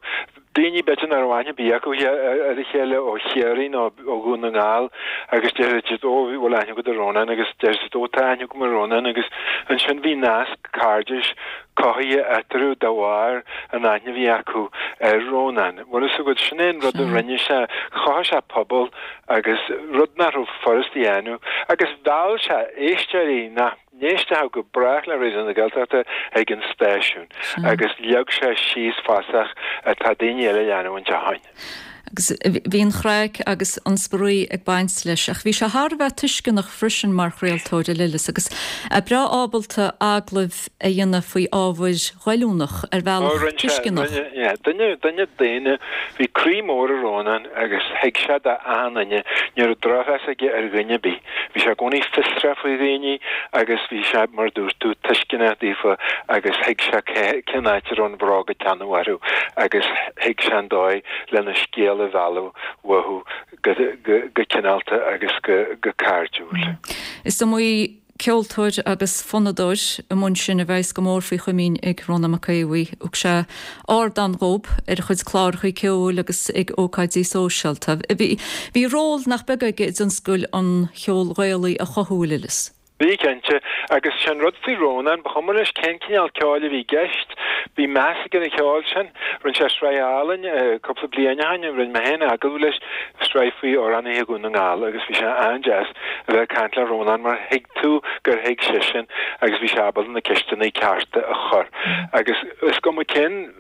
Daoine b'fhéidir nach raibh aithne ar bith acu ar a chéile ó Chiarraí nó ó Dhún na nGall agus déarfaidh siad 'Ó, bhfuil aithne agat ar Rónán' agus déarfaidh siad 'Ó, tá aithne agam ar Rónán' agus ansin bhí nasc cairdis cothaithe eatarthu de bharr an aithne a bhí acu ar Rónán. Bhfuil fhios agat, sin é an rud a rinne sé, chothaigh sé pobal agus rud nach raibh furast a dhéanamh agus mheall sé éisteoirí nach n-éistfeadh go brách le Raidió na Gaeltachta ag an stáisiún agus leag sé síos fasach atá daoine eile a leanúint ó shoin. Agus bhí an chraic agus an spraoi ag baint leis ach bhí sé thar a bheith tuisceanach freisin mar chraoltóir, a Lillis, agus é breá ábalta agallaimh a dhéanamh faoi ábhair ghoilliúnach ar bhealach tuisceanach. Duine, duine daonna, bhí croí mór ag Rónán agus thuig sé d'achan duine, ní raibh drochmheas aige ar dhuine ar bith. Bhí sé i gcónaí fiosrach faoi dhaoine agus bhí sé, mar a dúirt tú, tuisceanach daofa agus thuig sé cén áit a raibh an bhróg ag teannadh orthu agus thuig sé an dóigh lena scéal a mhealladh uathu go cineálta agus go cairdiúil. Is iomaí ceoltóir agus fonnadóir i mbun sin a bheas go mór faoi chomaoin ag Rónán Mac Aodha Bhuí. Thug sé ardán dhób ar a chuid cláracha ceoil agus ag ócáidí sóisialta. Bhí bhí ról nach beag aige i dtionscal an cheoil Ghaelaigh a chothú, a Lillis. Bhí, cinnte. Agus sé an rud faoi Rónán, ba chuma leis cén cineál ceoil a bhí i gceist, bhí meas aige ar an cheol sin. Rinne sé sraith álainn cúpla bliain ó shin, rinne mé féin agallamh leis, sraith faoi amhránaithe Dhún na nGall agus bhí sé an-deas a bheith ag caint le Rónán mar thuig tú gur thuig seisean agus bhí sé ábalta na ceisteanna cearta a chur. Agus is cuma cén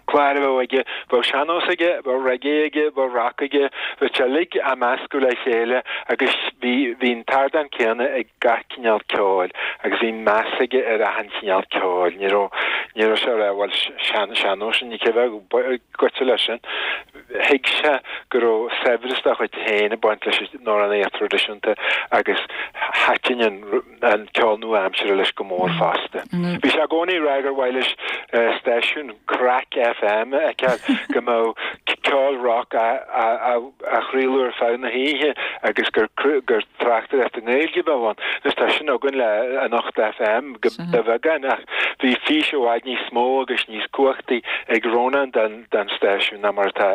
clár a bheadh aige, bheadh sean-nós aige, bheadh reggae aige, bheadh rock aige, bheadh sé uilig á meascadh le chéile agus bhí bhí an t-ardán céanna ag gach cineál ceoil agus bhí meas aige ar achan chineál ceoil. Ní raibh ní raibh sé a rá bhuel sean sean-nós ní cé bheadh goite leis sin. Thuig sé go raibh saibhreas dá chuid féin ag baint leis an amhránaíocht thraidisiúnta agus thaitin an ceol nua-aimseartha leis go mór fosta. Bhí sé i gcónaí ag rá gur mhaith leis stáisiún Craic FM a fheiceáil, go mbeadh ceol rock á chraoladh ar feadh na hoíche agus gur tráchtaireacht i nGaeilge a bheadh ann. Anois tá sin againn le Anocht FM de bheagán ach bhí fís i bhfad níos mó agus níos cumhachtaí ag Rónán den den stáisiún ná mar atá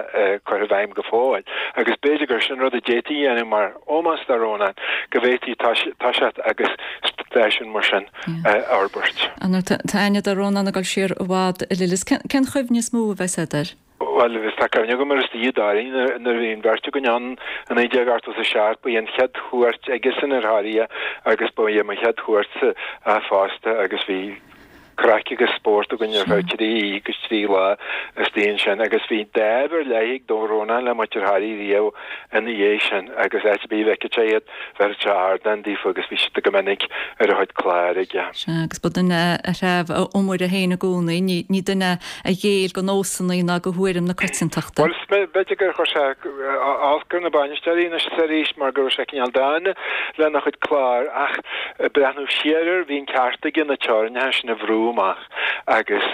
curtha i bhfeidhm go fóill agus b'fhéidir gur sin rud a d'fhéadfaí a dhéanamh mar ómós do Rónán, go bhféadfaí toiseacht agus stáisiún mar sin a fhorbairt. Tá aithne do Rónán ag dul siar i bhfad, a Lillis. Cén chuimhne is mó a bheas agat air? Bhuel, tá cuimhne agam ar istigh i dToraí nuair a bhí an bheirt againn ann i 1987, ba í an chéad chuairt aigesan ar Thoraigh agus ba í mo chéad chuairtse fosta agus bhí. craic agus spórt againn ar feadh 3 oíche agus 3 lá istigh ansin agus bhí dáimh ar leith ag Rónán le muintir Harry riamh ina dhiaidh sin agus áit ar bith a bhfeicfeadh sé iad, bheireadh sé ardán daofa agus bhí siad go minic ar a chuid clár aige. Sea, agus ba duine a threabh a iomaire féin i gcónaí, ní duine a ghéill go nósanna ná go thuairim na coitiantachta. Bhuel, b'fhéidir gur chuir sé olc ar na bainisteoirí anois is arís mar go raibh sé cineál dána lena chuid clár ach ag breathnú siar air bhí an ceart aige na teorainneacha sin a bhrú amach agus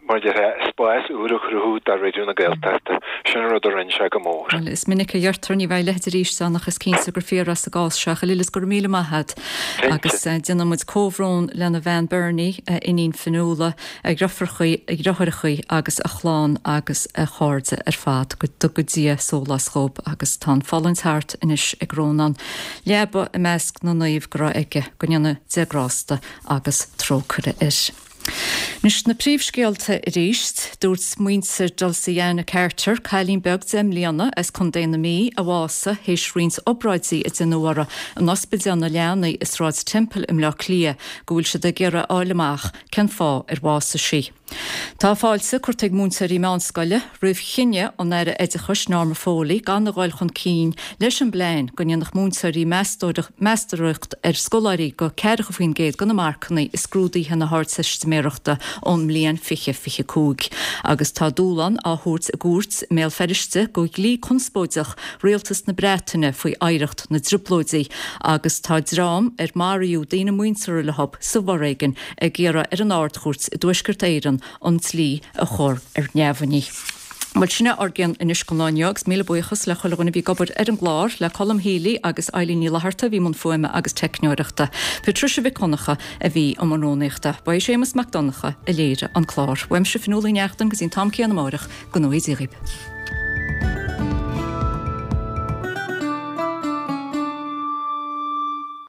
mar a déarfá, spás úr a chruthú do Raidió na Gaeltachta. Sin an rud a rinne sé go mór. Bhuel, is minic a deirtear ní bheidh a leithéid arís ann ach is cinnte gur fíor é sa gcás seo. A Lillis, go raibh míle maith agat. Agus déanann muid comhbhrón lena bhean Bernie, a iníon Fionnuala, a dhriofrachaí, a dhriotháireachaí agus a chlann agus a chairde ar fad. Go dtuga Dia sólás dhób agus tá an fulaingt thart anois ag Rónán. Leaba i measc na naomh go raibh aige. Go ndéana Dia grásta agus trócaire air. Anois na príomhscéalta arís. Dúirt muintir Dulciana Carter, cailín beag 10 mbliana as Contae na Mí a bhásaigh théis roinnt obráidí a déanadh uirthi in Ospidéal na Leanaí i Sráid Temple i mBleá Cliath, go bhfuil siad ag iarraidh a fháil amach cén fáth ar bhásaigh sí. Tá fáilte curtha ag múinteoirí meánscoile roimh chinneadh an Aire Oideachais Norma Foley gan a dhul chun cinn leis an bplean go ndéanfadh múinteoirí meastóireacht ar scoláirí go 40% de na marcanna i scrúduithe na hArdteistiméireachta ón mbliain 2025. Agus tá dúshlán á thabhairt i gcúirt i mBéal Feirste go dhlí conspóideach Rialtas na Breataine faoi oidhreacht na dTrioblóidí agus tá dream ar maraíodh daoine muinteartha leo sa bhforéigean ag iarraidh ar an Ard-Chúirt i dTuaisceart Éireann an dlí a chur ar neamhní. Bhuel, sin é ár gcion anois don lá inniu agus míle buíochas le chuile dhuine a bhí ag obair ar an gclár, le Colm Healy agus Eilín Ní Fhlatharta a bhí i mbun fuaime agus teicneoireachta. Patricia Mhic Dhonncha a bhí i mbun rúnaíochta. Ba é Séamus Mac Donncha a léirigh an clár. Uaimse Fionnuala Ní Neachtain go dtí an t-am céanna amáireach, go ngnóthaí Dia dhaoibh.